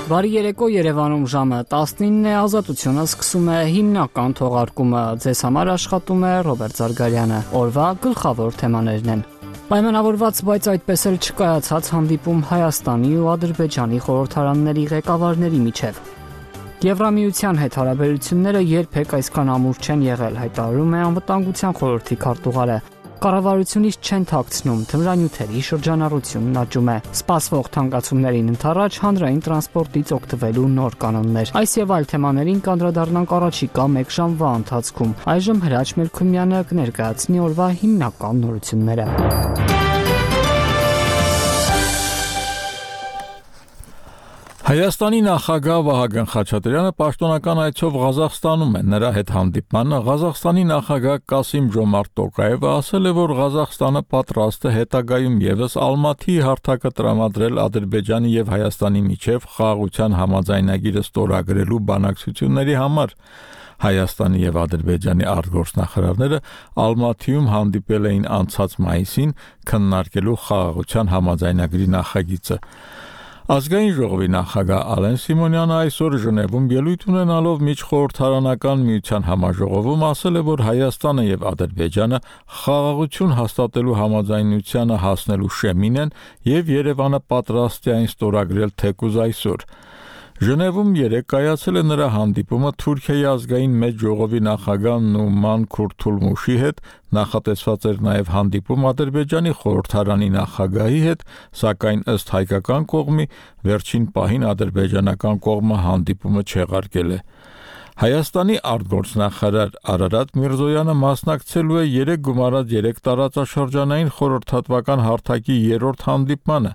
Բարի երեկո, Երևանում ժամը 19 է, Ազատությունը սկսում է հիմնական թողարկումը։ Ձեզ համար աշխատում է Ռոբերտ Զարգարյանը։ Օրվա գլխավոր թեմաներն են. Պայմանավորված, բայց այդպես էլ չկայացած հանդիպում Հայաստանի ու Ադրբեջանի խորհրդարանների ղեկավարների միջև։ Եվրամիության հետ հարաբերությունները երբեք այսքան ամուր չեն եղել, հայտարարում է Անվտանգության խորհրդի քարտուղարը։ Կառավարությունից չեն թաքցնում, թմրանյութերի շրջանառությունն աճում է։ Սպասվող թանկացումներին ընդառաջ հանրային տրանսպորտից օգտվելու նոր կանոններ։ Այս եւ այլ թեմաներին կանդրադառնանք առաջիկա 1 ժամվա ընթացքում։ Այժմ Հրաչ Մելքումյանը կներկայացնի օրվա հիմնական նորությունները։ Հայաստանի նախագահ Վահագն Խաչատրյանը պաշտոնական այցով Ղազախստանում է։ Նրա հետ հանդիպմանը Ղազախստանի նախագահ Կասիմ-Ջոմարտ Տոկաևը ասել է, որ Ղազախստանը պատրաստ է հետագայում եւս Ալմաթիի հարթակը տրամադրել Ադրբեջանի եւ Հայաստանի միջև խաղաղության համաձայնագիրը ստորագրելու բանակցությունների համար։ Հայաստանի եւ Ադրբեջանի արտգործնախարարները Ալմաթիում հանդիպել էին անցած մայիսին քննարկելու խաղաղության համաձայնագրի նախագիծը։ Ազգային ժողովի նախագահ Ալեն Սիմոնյանը այսօր Ժնևում ելույթ ունենալով միջխորհրդարանական միության համաժողովում ասել է, որ Հայաստանը եւ Ադրբեջանը խաղաղություն հաստատելու համաձայնությանը հասնելու շեմին են եւ Երևանը պատրաստ է այն ստորագրել թեկուզ այսօր։ Ժնևում երեկ կայացել է նրա հանդիպումը Թուրքիայի ազգային մեծ ժողովի նախագահ Նուման Քուրթուլմուշի հետ, նախատեսված էր նաև հանդիպում Ադրբեջանի խորհրդարանի նախագահի հետ, սակայն ըստ հայկական կողմի վերջին պահին ադրբեջանական կողմը հանդիպումը չեղարկել է։ Հայաստանի արտգործնախարար Արարատ Միրզոյանը մասնակցելու է 3+3 տարածաշրջանային խորհրդատվական հարթակի 3-րդ հանդիպմանը։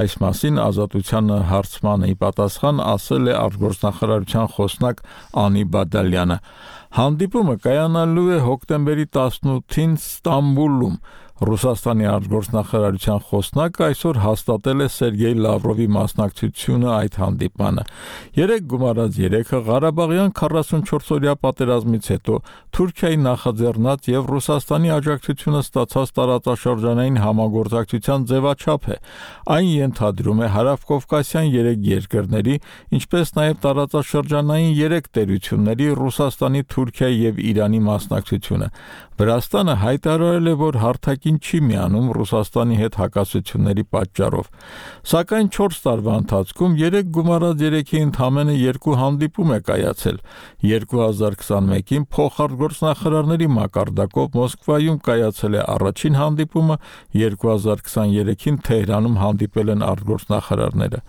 Այս մասին Ազատությանը հարցմանը ի պատասխան ասել է արտգործնախարարության խոսնակ Անի Բադալյանը։ Հանդիպումը կայանալու է հոկտեմբերի 18-ին Ստամբուլում։ Ռուսաստանի արտգործնախարարության խոսնակը այսօր հաստատել է Սերգեյ Լավրովի մասնակցությունը այդ հանդիպմանը։ 3+3-ը Ղարաբաղյան 44-օրյա պատերազմից հետո Թուրքիայի նախաձեռնած եւ Ռուսաստանի աջակցությունը ստացած տարածաշրջանային համագործակցության ձևաչափ է։ Այն ենթադրում է հարավկովկասյան 3 երկրների, ինչպես նաեւ տարածաշրջանային 3 տերությունների՝ Ռուսաստանի, Թուրքիայի եւ Իրանի մասնակցությունը։ Վրաստանը հայտարարել է, որ հարթակին չի միանում Ռուսաստանի հետ հակասությունների պատճառով։ Սակայն 4 տարվա ընթացքում 3+3-ի ընդամենը 2 հանդիպում է կայացել։ 2021-ին փոխարտգործնախարարների մակարդակով Մոսկվայում կայացել է առաջին հանդիպումը, 2023-ին Թեհրանում հանդիպել են արտգործնախարարները։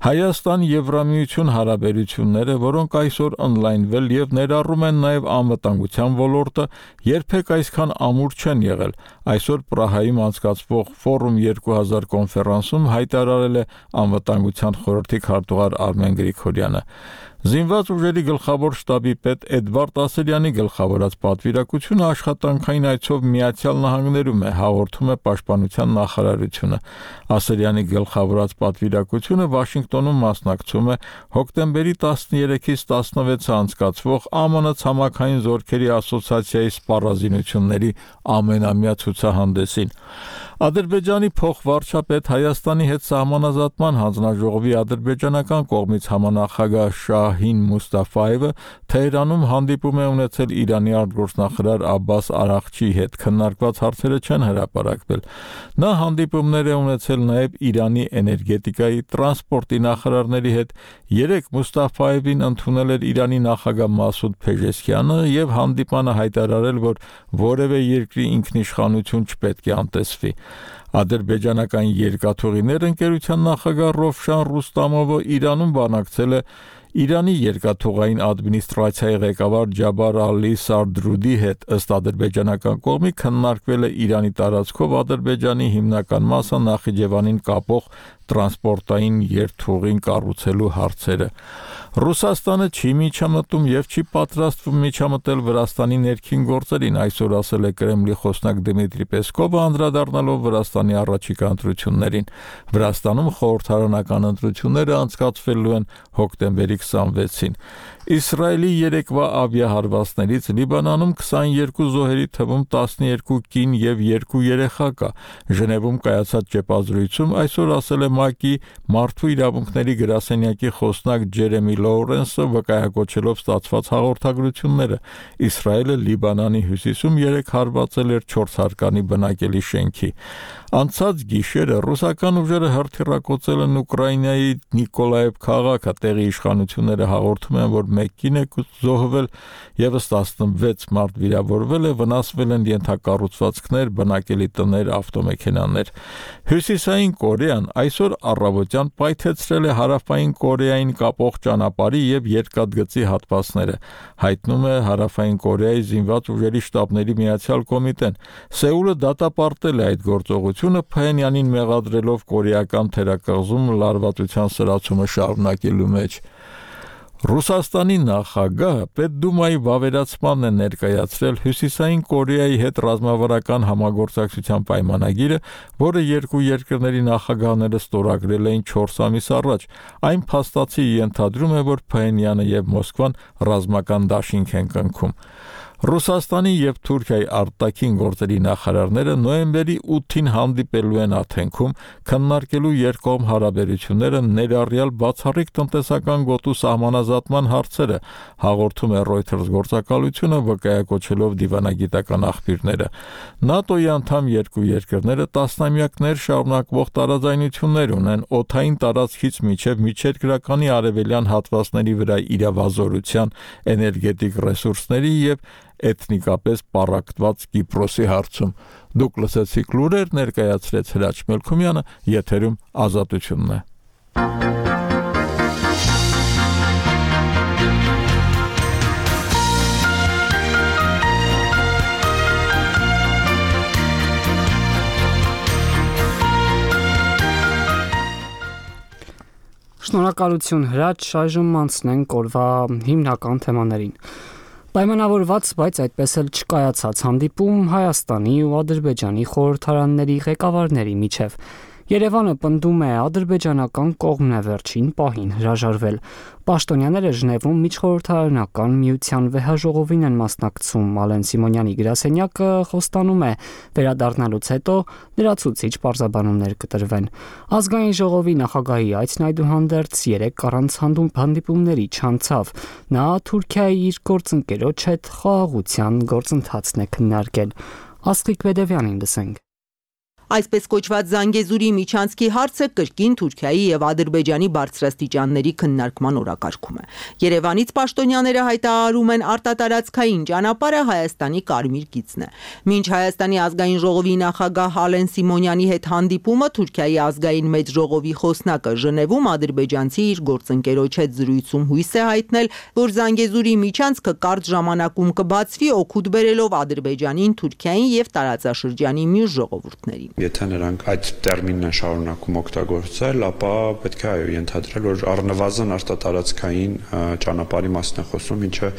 Հայաստան-Եվրամիություն հարաբերությունները, որոնք այսօր ընդլայնվել եւ ներառում են նաեւ անվտանգության ոլորտը, երբեք այսքան ամուր չեն եղել։ Այսօր Պրահայում անցկացվող Ֆորում 2000 կոնֆերանսում հայտարարել է Անվտանգության խորհրդի քարտուղար Արմեն Գրիգորյանը։ Զինված ուժերի գլխավոր շտաբի պետ Էդվարդ Ասելյանի գլխավորած պատվիրակությունը աշխատանքային այցով Միացյալ Նահանգներում է, հաղորդում է Պաշտպանության նախարարությունը։ Ասելյանի գլխավորած պատվիրակությունը Վաշինգտոնում մասնակցում է հոկտեմբերի 13-ից 16-ը անցկացվող ԱՄՆ ցամաքային զորքերի ասոցիացիայի սպառազինությունների ամենամյա ցուցահանդեսին։ Ադրբեջանի փոխվարչապետ Հայաստանի հետ սահմանազատման հանձնաժողովի ադրբեջանական կողմից համանախագահ Շահին Մուստաֆայևը Թեհրանում հանդիպում է ունեցել Իրանի արտգործնախարար Աբբաս Արաղչիի հետ, քննարկված հարցերը չեն հրապարակվել։ Նա հանդիպումներ է ունեցել նաև Իրանի էներգետիկայի, տրանսպորտի նախարարների հետ։ Երեկ Մուստաֆայևին ընդունել էր Իրանի նախագահ Մասուդ Փեժեսքյանը եւ հանդիպանը հայտարարել, որ որևէ երկրի ինքնիշխանություն չպետք է անտեսվի։ Ադրբեջանական երկաթուղիներ ընկերության նախագահ Ռովշան Ռուստամովը Իրանում բանակցել է Իրանի երկաթուղային ադմինիստրացիայի ղեկավար Ջաբար Ալի Սարդրուդի հետ։ Ըստ ադրբեջանական կողմի քննարկվել է Իրանի տարածքով Ադրբեջանի հիմնական մասը Նախիջևանին կապող տրանսպորտային երթուղին կառուցելու հարցերը։ Ռուսաստանը չի միջամտում եւ չի պատրաստվում միջամտել Վրաստանի ներքին գործերին, այսօր ասել է Կրեմլի խոսնակ Դմիտրի Պեսկովը, անդրադառնալով Վրաստանի առաջիկա ընտրություններին։ Վրաստանում խորհրդարանական ընտրությունները անցկացվելու են հոկտեմբերի 26-ին։ Իսրայելի երեկվա ավիահարվածներից Լիբանանում 22 զոհերի թվում 12 կին եւ 2 երեխա կա։ Ժնևում կայացած ճեպազրույցում այսօր ասել է ՄԱԿ-ի մարդու իրավունքների գրասենյակի խոսնակ Ջերեմի Լոուրենսը, վկայակոչելով ստացված հաղորդագրությունները։ Իսրայելը Լիբանանի հյուսիսում 3 հարվածել էր 4 հարկանի բնակելի շենքի։ Անցած գիշերը ռուսական ուժերը հրթիռակոծել են Ուկրաինայի Նիկոլաև քաղաքը, տեղի իշխանությունները հաղորդում են, որ մեկ կին է զոհվել, եւս 16 մարդ վիրավորվել է, վնասվել են ենթակառուցվածքներ, բնակելի տներ, ավտոմեքենաներ։ Հյուսիսային Կորեան այսօր առավոտյան պայթեցրել է Հարավային Կորեային կապող ճանապարհի եւ երկաթգծի հատվածները, հայտնում է Հարավային Կորեայի զինված ուժերի շտաբների միացյալ կոմիտեն։ Սեուլը դատապարտել է այդ գործողությունը, Փհենյանին մեղադրելով կորեական թերակղզում լարվածության սրացումը շարունակելու մեջ։ Ռուսաստանի նախագահը Պետդումայի վավերացմանն է ներկայացրել Հյուսիսային Կորեայի հետ ռազմավարական համագործակցության պայմանագիրը, որը երկու երկրների նախագահները ստորագրել էին 4 ամիս առաջ։ Այն փաստացի ենթադրում է, որ Փհենյանը եւ Մոսկվան ռազմական դաշինք են կնքում։ Ռուսաստանի եւ Թուրքիայի արտաքին գործերի նախարարները նոյեմբերի 8-ին հանդիպելու են Աթենքում, քննարկելու երկկողմ հարաբերությունները, ներառյալ բացառիկ տնտեսական գոտու սահմանազատման հարցերը, հաղորդում է Reuters գործակալությունը, վկայակոչելով դիվանագիտական աղբյուրները։ ՆԱՏՕ-ի անդամ երկու երկրները տասնամյակներ շարունակվող տարաձայնություններ ունեն օդային տարածքից մինչև միջերկրականի արևելյան հատվածների վրա իրավազորության, էներգետիկ ռեսուրսների եւ էթնիկապես պառակտված Կիպրոսի հարցում։ Դուք լսեցիք լուրեր, ներկայացրեց Հրաչ Մելքումյանը, եթերում Ազատությունն է։ Շնորհակալություն Հրաչ, այժմ անցնենք օրվա հիմնական թեմաներին։ Պայմանավորված, բայց այդպես էլ չկայացած հանդիպում Հայաստանի ու Ադրբեջանի խորհրդարանների ղեկավարների միջև։ Երևանը պնդում է ադրբեջանական կողմն է վերջին պահին հրաժարվել։ Պաշտոնյաները Ժնևում միջխորհրդարանական միության վեհաժողովին են մասնակցում։ Ալեն Սիմոնյանի գրասենյակը խոստանում է վերադառնալուց հետո լրացուցիչ պարզաբանումներ կտրվեն։ Ազգային ժողովի նախագահի այցն այդուհանդերձ 3 առանց հանդիպումների չանցավ։ Նա Թուրքիայի իր գործընկերոջ հետ խաղաղության գործընթացն է քննարկել։ Ասղիկ Բեդևյանին լսենք։ Այսպես կոչված Զանգեզուրի միջանցքի հարցը կրկին Թուրքիայի եւ Ադրբեջանի բարձրաստիճանների քննարկման օրակարգում է։ Երևանից պաշտոնյաները հայտարարում են արտատարածքային ճանապարհը Հայաստանի կարմիր գիծն է։ Մինչ Հայաստանի ազգային ժողովի նախագահ Ալեն Սիմոնյանի հետ հանդիպումը Թուրքիայի ազգային մեծ ժողովի խոսնակը Ժնևում ադրբեջանցի իր գործընկերոջ հետ զրույցում հույս է հայտնել, որ Զանգեզուրի միջանցքը կարճ ժամանակում կբացվի, օգուտ բերելով Ադրբեջանին, Թուրքիային եւ տարածաշրջանի մյուս ժողովուրդներին։ Եթե նրանք այդ տերմինն են շարունակում օգտագործել, ապա պետք է ենթադրել, որ առնվազն արտատարածքային ճանապարհի մասն է խոսում, ինչը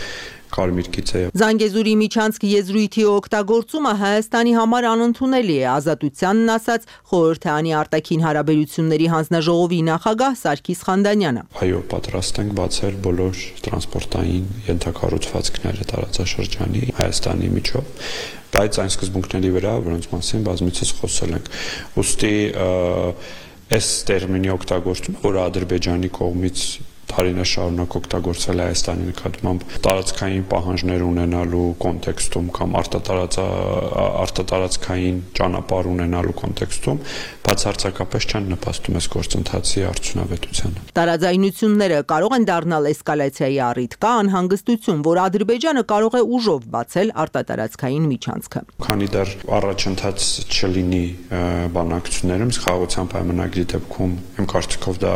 կարմիր գիծ է։ Զանգեզուրի միջանցք եզրույթի օգտագործումը Հայաստանի համար անընդունելի է, Ազատությանն ասաց խորհրդարանի արտաքին հարաբերությունների հանձնաժողովի նախագահ Սարգիս Խանդանյանը։ Այո, պատրաստ ենք բացել բոլոր տրանսպորտային ենթակառուցվածքները տարածաշրջանի Հայաստանի միջով, բայց այն սկզբունքների վրա, որոնց մասին բազմիցս խոսել ենք։ Ուստի այս տերմինի օգտագործումը, որը Ադրբեջանի կողմից տարիներ շարունակ օգտագործվել է Հայաստանի նկատմամբ տարածքային պահանջներ ունենալու կոնտեքստում կամ արտատարածքային ճանապարհ ունենալու կոնտեքստում բացարձակապես չեն նպաստում այս գործընթացի արդյունավետությանը։ Տարաձայնությունները կարող են դառնալ էսկալացիայի առիթ, կա անհանգստություն, որ Ադրբեջանը կարող է ուժով բացել արտատարածքային միջանցքը։ Քանի դեռ առաջընթաց չլինի բանակցություններում, խաղաղության պայմանագրի դեպքում իմ կարծիքով դա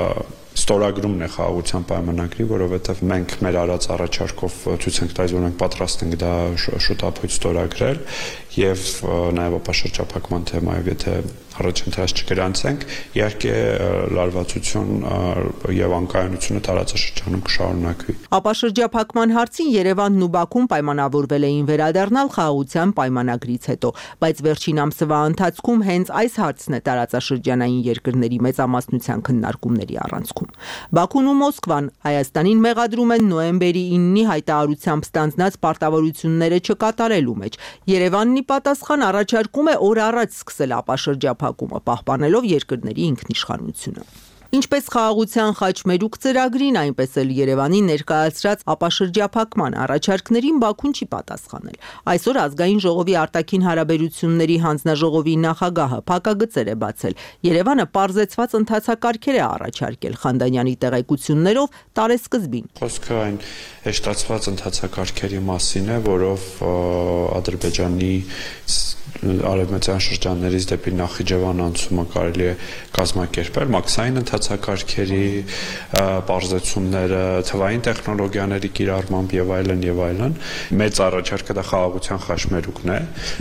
ստորագրումն է խաղաղության պայմանագրի, որովհետև մենք մեր արած առաջարկով ցույց ենք տալիս, որ մենք պատրաստ ենք դա շուտապույտ ստորագրել եւ նաեւ ապաշրջափակման թեմայով, եթե առաջընթաց չգրանցենք, իհարկե լարվածություն եւ անկայունությունը տարածաշրջանում կշարունակվի։ Ապաշրջափակման հարցին Երևանն ու Բաքուն պայմանավորվել էին վերադառնալ խաղաղության պայմանագրից հետո, բայց վերջին ամսվա ընթացքում հենց այս հարցն է տարածաշրջանային երկրների մեծամասնության քննարկումների առանցքում։ Բաքուն ու Մոսկվան Հայաստանին մեղադրում են նոյեմբերի 9-ի հայտարարությամբ ստանձնած պարտավորությունները չկատարելու մեջ։ Երևանն ի պատասխան առաջարկում է օր առաջ սկսել ապաշրջափակումը, պահպանելով երկրների ինքնիշխանությունը։ Ինչպես խաղաղության խաչմերուկ ծրագրին, այնպես էլ Երևանի ներկայացրած ապաշրջափակման առաջարկներին Բաքուն չի պատասխանել։ Այսօր Ազգային ժողովի արտաքին հարաբերությունների հանձնաժողովի նախագահը փակագծեր է բացել։ Երևանը պարզեցված ընթացակարգեր է առաջարկել Խանդանյանի տեղեկություններով տարեսկզբին։ Խոսքը այն հեշտացված ընթացակարգերի մասին է, որով Ադրբեջանի արևմտյան շրջաններից դեպի Նախիջևան անցումը կարելի է կազմակերպել մաքսային ընթացակարգերի պարզեցումները, թվային տեխնոլոգիաների կիրառմամբ եւ այլն։ Մեծ առաջարկը դա խաղաղության խաչմերուկն է,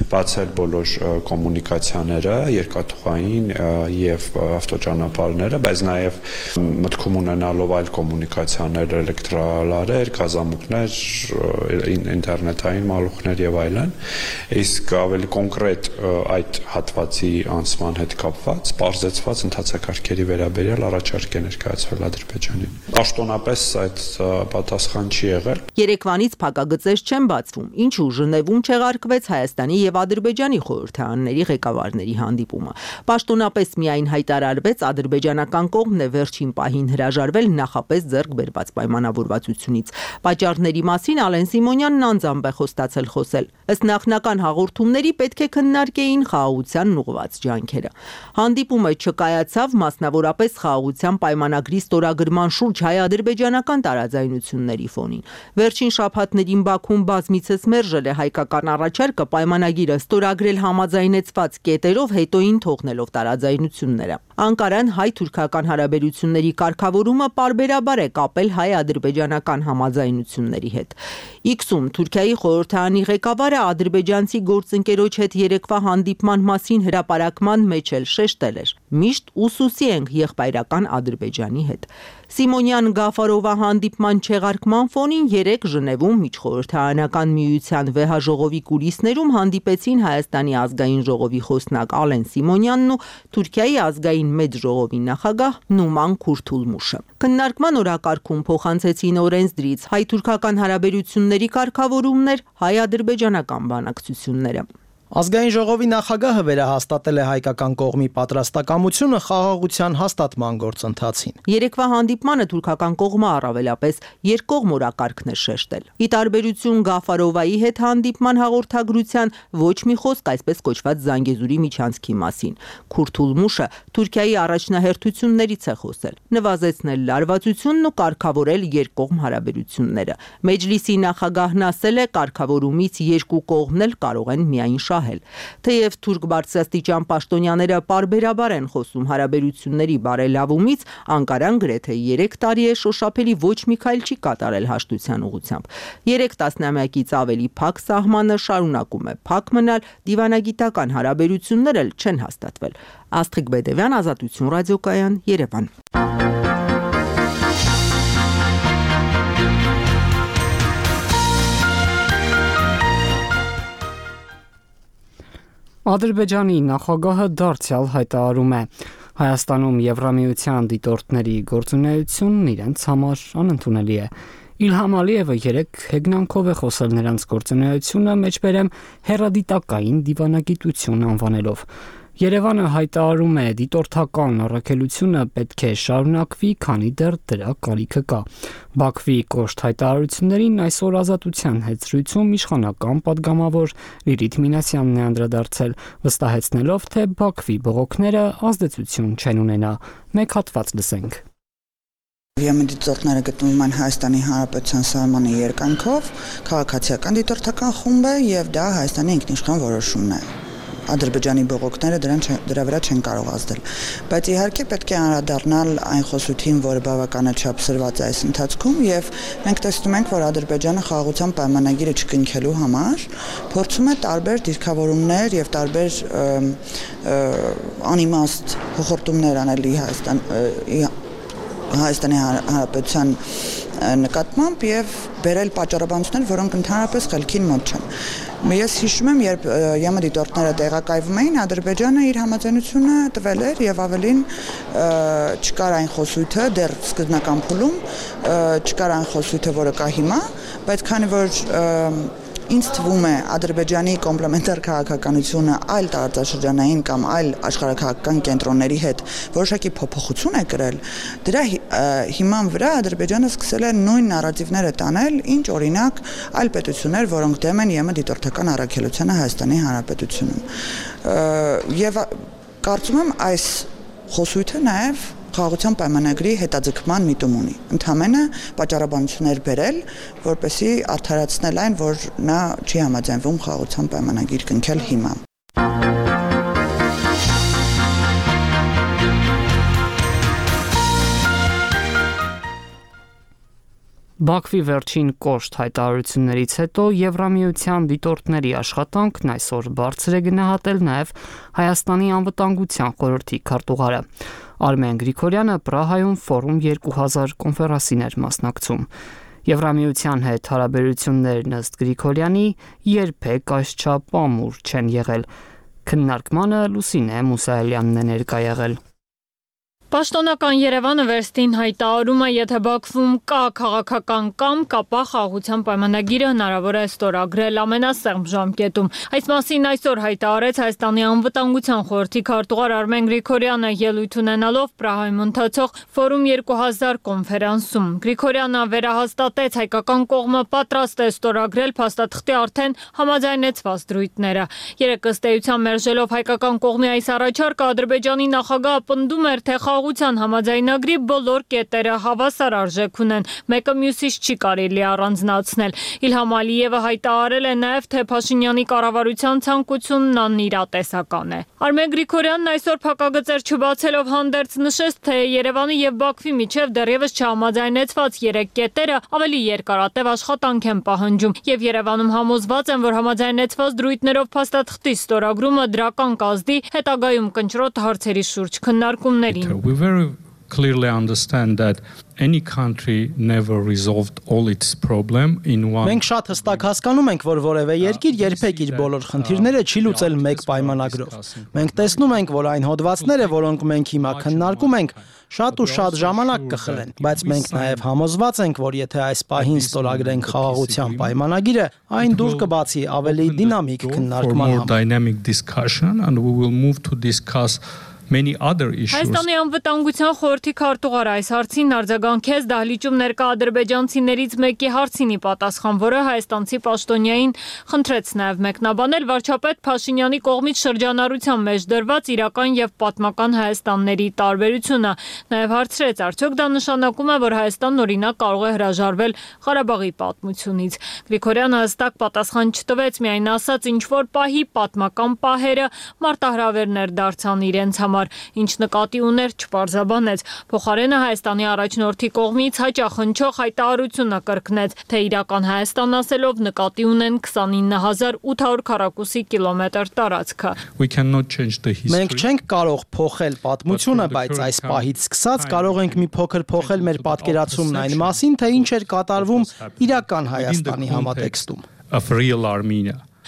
բացել բոլոր կոմունիկացիաները, երկաթուղային եւ ավտոճանապարհները, բայց նաեւ մտքում ունենալով այլ կոմունիկացիաներ, էլեկտրալարեր, գազամուկներ, ինտերնետային մալուխներ եւ այլն։ Իսկ ավելի կոնկրետ այդ հատվածի անցման հետ կապված պարզեցված ընթացակարգերի վերաբերյալ առաջարկ է ներկայացվել Ադրբեջանին։ Պաշտոնապես այդ պատասխան չի եղել։ Երեկվանից փակագծեր չեն բացվում, ինչու Ժնևում չեղարկվեց Հայաստանի եւ Ադրբեջանի խորհրդարանների ղեկավարների հանդիպումը։ Պաշտոնապես միայն հայտարարվեց ադրբեջանական կողմն է վերջին պահին հրաժարվել նախապես ձեռք բերված պայմանավորվածությունից։ Պատճառների մասին Ալեն Սիմոնյանն անձամբ է խոստացել խոսել։ Ըստ նախնական հաղորդումների պետք է քննարկեին խաղաղությանն ուղղված ջանքերը։ Հանդիպումը չկայացավ մասնավորապես խաղաղության պայմանագրի ստորագրման շուրջ հայ-ադրբեջանական տարաձայնությունների ֆոնին։ Վերջին շաբաթներին Բաքուն բազմիցս մերժել է հայկական առաջարկը պայմանագիրը ստորագրել համաձայնեցված կետերով, հետոին թողնելով տարաձայնությունները։ Անկարան հայ-թուրքական հարաբերությունների կարգավորումը պարբերաբար է կապել հայ-ադրբեջանական համաձայնությունների հետ։ Իքսում Թուրքիայի խորհրդարանի ղեկավարը ադրբեջանցի գործընկերոջ հետ երեկվա հանդիպման մասին հրապարակման մեջ էլ շեշտել էր. «Միշտ ուսուսի ենք եղբայրական Ադրբեջանի հետ»։ Սիմոնյան Գաֆարովա հանդիպման չեղարկման ֆոնին երեկ Ժնևում միջխորհրդարանական միության վեհաժողովի կուլիսներում հանդիպեցին Հայաստանի ազգային ժողովի խոսնակ Ալեն Սիմոնյանն ու Թուրքիայի ազգային մեծ ժողովի նախագահ Նուման Քուրթուլմուշը։ Քննարկման օրակարգում փոխանցեցին օրենսդրից հայ-թուրքական հարաբերությունների կարգավորումներ, հայ-ադրբեջանական բանակցությունները։ Ազգային ժողովի նախագահը վերահաստատել է հայկական կողմի պատրաստակամությունը խաղաղության հաստատման գործընթացին։ Երեկվա հանդիպմանը թուրքական կողմը առավելապես երկկողմ օրակարգն է շեշտել։ Ի տարբերություն Գաֆարովայի հետ հանդիպման հաղորդագրության ոչ մի խոսք այսպես կոչված Զանգեզուրի միջանցքի մասին։ Քուրթուլմուշը Թուրքիայի առաջնահերթություններից է խոսել, նվազեցնել լարվածությունն ու կարգավորել երկկողմ հարաբերությունները։ Մեջլիսի նախագահն ասել է, կարգավորումից երկու կողմն էլ կարող են միայն Թեև թուրք բարձրաստիճան պաշտոնյաները պարբերաբար են խոսում հարաբերությունների բարելավումից, Անկարան գրեթե 3 տարի է շոշափելի ոչ մի քայլ չի կատարել հաշտության ուղղությամբ։ 3 տասնամյակից ավելի փակ սահմանը շարունակում է փակ մնալ, դիվանագիտական հարաբերություններ էլ չեն հաստատվել։ Աստղիկ Բեդևյան, Ազատություն ռադիոկայան, Երևան։ Ադրբեջանի նախագահը դարձյալ հայտարարում է. Հայաստանում Եվրամիության դիտորդների գործունեությունն իրենց համար անընդունելի է։ Իլհամ Ալիևը երեք հեգնանքով է խոսել նրանց գործունեությունը մեջբերեմ հեռադիտակային դիվանագիտություն անվանելով։ Երևանը հայտարարում է դիտորդական առաքելությունը պետք է շարունակվի, քանի դեռ դրա կարիքը կա։ Բաքվի կոշտ հայտարարություններին այսօր Ազատության հետ զրույցում իշխանական падգամավոր Լիլիթ Մինասյանն է անդրադարձել, վստահեցնելով, թե Բաքվի բողոքները ազդեցություն չեն ունենա։ Մեկ հատված լսենք։ Դիտորդները գտնվում են Հայաստանի Հանրապետության սահմանի երկայնքով, քաղաքացիական դիտորդական խումբ է եւ դա Հայաստանի ինքնիշխան որոշումն է։ Ադրբեջանի բողոքները դրա վրա չեն կարող ազդել։ Բայց իհարկե պետք է անդրադառնալ այն խոսույթին, որը բավականաչափ սրված է այս ընթացքում, եւ մենք տեսնում ենք, որ Ադրբեջանը խաղաղության պայմանագիրը չկնքելու համար փորձում է տարբեր դիրքավորումներ եւ տարբեր անիմաստ հոխորտումներ անել Հայաստանի Հանրապետության նկատմամբ եւ բերել պատճառաբանություններ, որոնք ընդհանրապես խելքին մոտ չեն։ Ես հիշում եմ, երբ ԵՄ դիտորդները տեղակայվում էին, Ադրբեջանը իր համաձայնությունը տվել էր եւ ավելին չկար այն խոսույթը դեռ սկզբնական փուլում, չկար այն խոսույթը, որը կա հիմա, բայց քանի որ ինձ թվում է Ադրբեջանի կոմպլեմենտար քաղաքականությունը այլ տարածաշրջանային կամ այլ աշխարհաքաղաքական կենտրոնների հետ որոշակի փոփոխություն է կրել, դրա հիման վրա Ադրբեջանը սկսել է նույն նարատիվները տանել, ինչ օրինակ այլ պետություններ, որոնք դեմ են ԵՄ դիտորդական առաքելությանը Հայաստանի Հանրապետությունում։ Եվ կարծում եմ այս խոսույթը նաև խաղաղության պայմանագրի հետաձգման միտում ունի։ Ընդհանրապես պատճառաբանություններ բերել, որպեսզի արդարացնել այն, որ նա չի համաձայնվում խաղաղության պայմանագիր կնքել հիմա։ Բաքվի վերջին կոշտ հայտարարություններից հետո Եվրամիության դիտորդների աշխատանքն այսօր բարձր է գնահատել նաև Հայաստանի անվտանգության խորհրդի քարտուղարը։ Արմեն Գրիգորյանը Պրահայում Ֆորում 2000 կոնֆերանսին էր մասնակցում։ Եվրամիության հետ հարաբերություններն ըստ Գրիգորյանի երբեք այսչափ ամուր չեն եղել։ Քննարկմանը Լուսինե Մուսայելյանն է ներկա եղել։ Պաշտոնական Երևանը վերստին հայտարարում է, եթե Բաքվում կա քաղաքական կամք, ապա խաղաղության պայմանագիրը հնարավոր է ստորագրել ամենասեղմ ժամկետում։ Այս մասին այսօր հայտարարեց Հայաստանի անվտանգության խորհրդի քարտուղար Արմեն Գրիգորյանը ելույթ ունենալով Պրահայում ընթացող Ֆորում 2000 կոնֆերանսում։ Գրիգորյանը վերահաստատեց հայկական կողմը պատրաստ է ստորագրել փաստաթղթի արդեն համաձայնեցված դրույթները։ Երեկ ըստ էության մերժելով հայկական կողմի այս առաջարկը Ադրբեջանի նախագահը պնդում էր, թե խաղաղության համաձայնագրի բոլոր կետերը հավասար արժեք ունեն, մեկը մյուսից չի կարելի առանձնացնել։ Իլհամ Ալիևը հայտարարել է նաև, թե Փաշինյանի կառավարության ցանկությունն անիրատեսական է։ Արմեն Գրիգորյանն այսօր փակագծեր չբացելով հանդերձ նշեց, թե Երևանի եւ Բաքվի միջև դեռևս չհամաձայնեցված 3 կետերը ավելի երկարատև աշխատանք են պահանջում, եւ Երևանում համոզված են, որ համաձայնեցված դրույթներով փաստաթղթի ստորագրումը դրական կազդի հետագայում կնճռոտ հարցերի շուրջ քննարկումներին։ We very clearly understand that any country never resolved all its problem in one. Մենք շատ հստակ հասկանում ենք, որ որևէ երկիր երբեք իր բոլոր խնդիրները չի լուծել մեկ պայմանագրով։ Մենք տեսնում ենք, որ այն հոդվածները, որոնք մենք հիմա քննարկում ենք, շատ ու շատ ժամանակ կխլեն, բայց մենք նաև համոզված ենք, որ եթե այս պահին ստորագրենք խաղաղության պայմանագիրը, այն դուր կբացի ավելի դինամիկ քննարկման համար։ Dynamic discussion and we will move to discuss many other issues. Հայաստանի անվտանգության խորհրդի քարտուղարը այս հարցին արձագանքեց դահլիճում ներկա ադրբեջանցիներից մեկի հարցինի պատասխան, որը հայաստանցի պաշտոնյային խնդրեց նաև մեկնաբանել վարչապետ Փաշինյանի կողմից շրջանառության մեջ դրված իրական եւ պատմական Հայաստանների տարբերությունը։ Նաև հարցրեց, արդյոք դա նշանակում է, որ Հայաստանն օրինակ կարող է հրաժարվել Ղարաբաղի պատմությունից։ Գրիգորյանը հստակ պատասխան չտվեց, միայն ասաց, ինչ որ պահի պատմական պահերը մարտահրավերներ դարձան իրենց համար, ինչ նկատի ուներ չպարզաբանեց։ Փոխարենը Հայաստանի առաջնորդի կողմից հաճախնչող հայտարարությունը կրկնեց, թե իրական Հայաստան ասելով նկատի ունեն 29800 քառակուսի կիլոմետր տարածքը։ Մենք չենք կարող փոխել պատմությունը, բայց այս պահից սկսած կարող ենք մի փոքր փոխել մեր պատկերացումն այն մասին, թե ինչ էր կատարվում իրական Հայաստանի համատեքստում։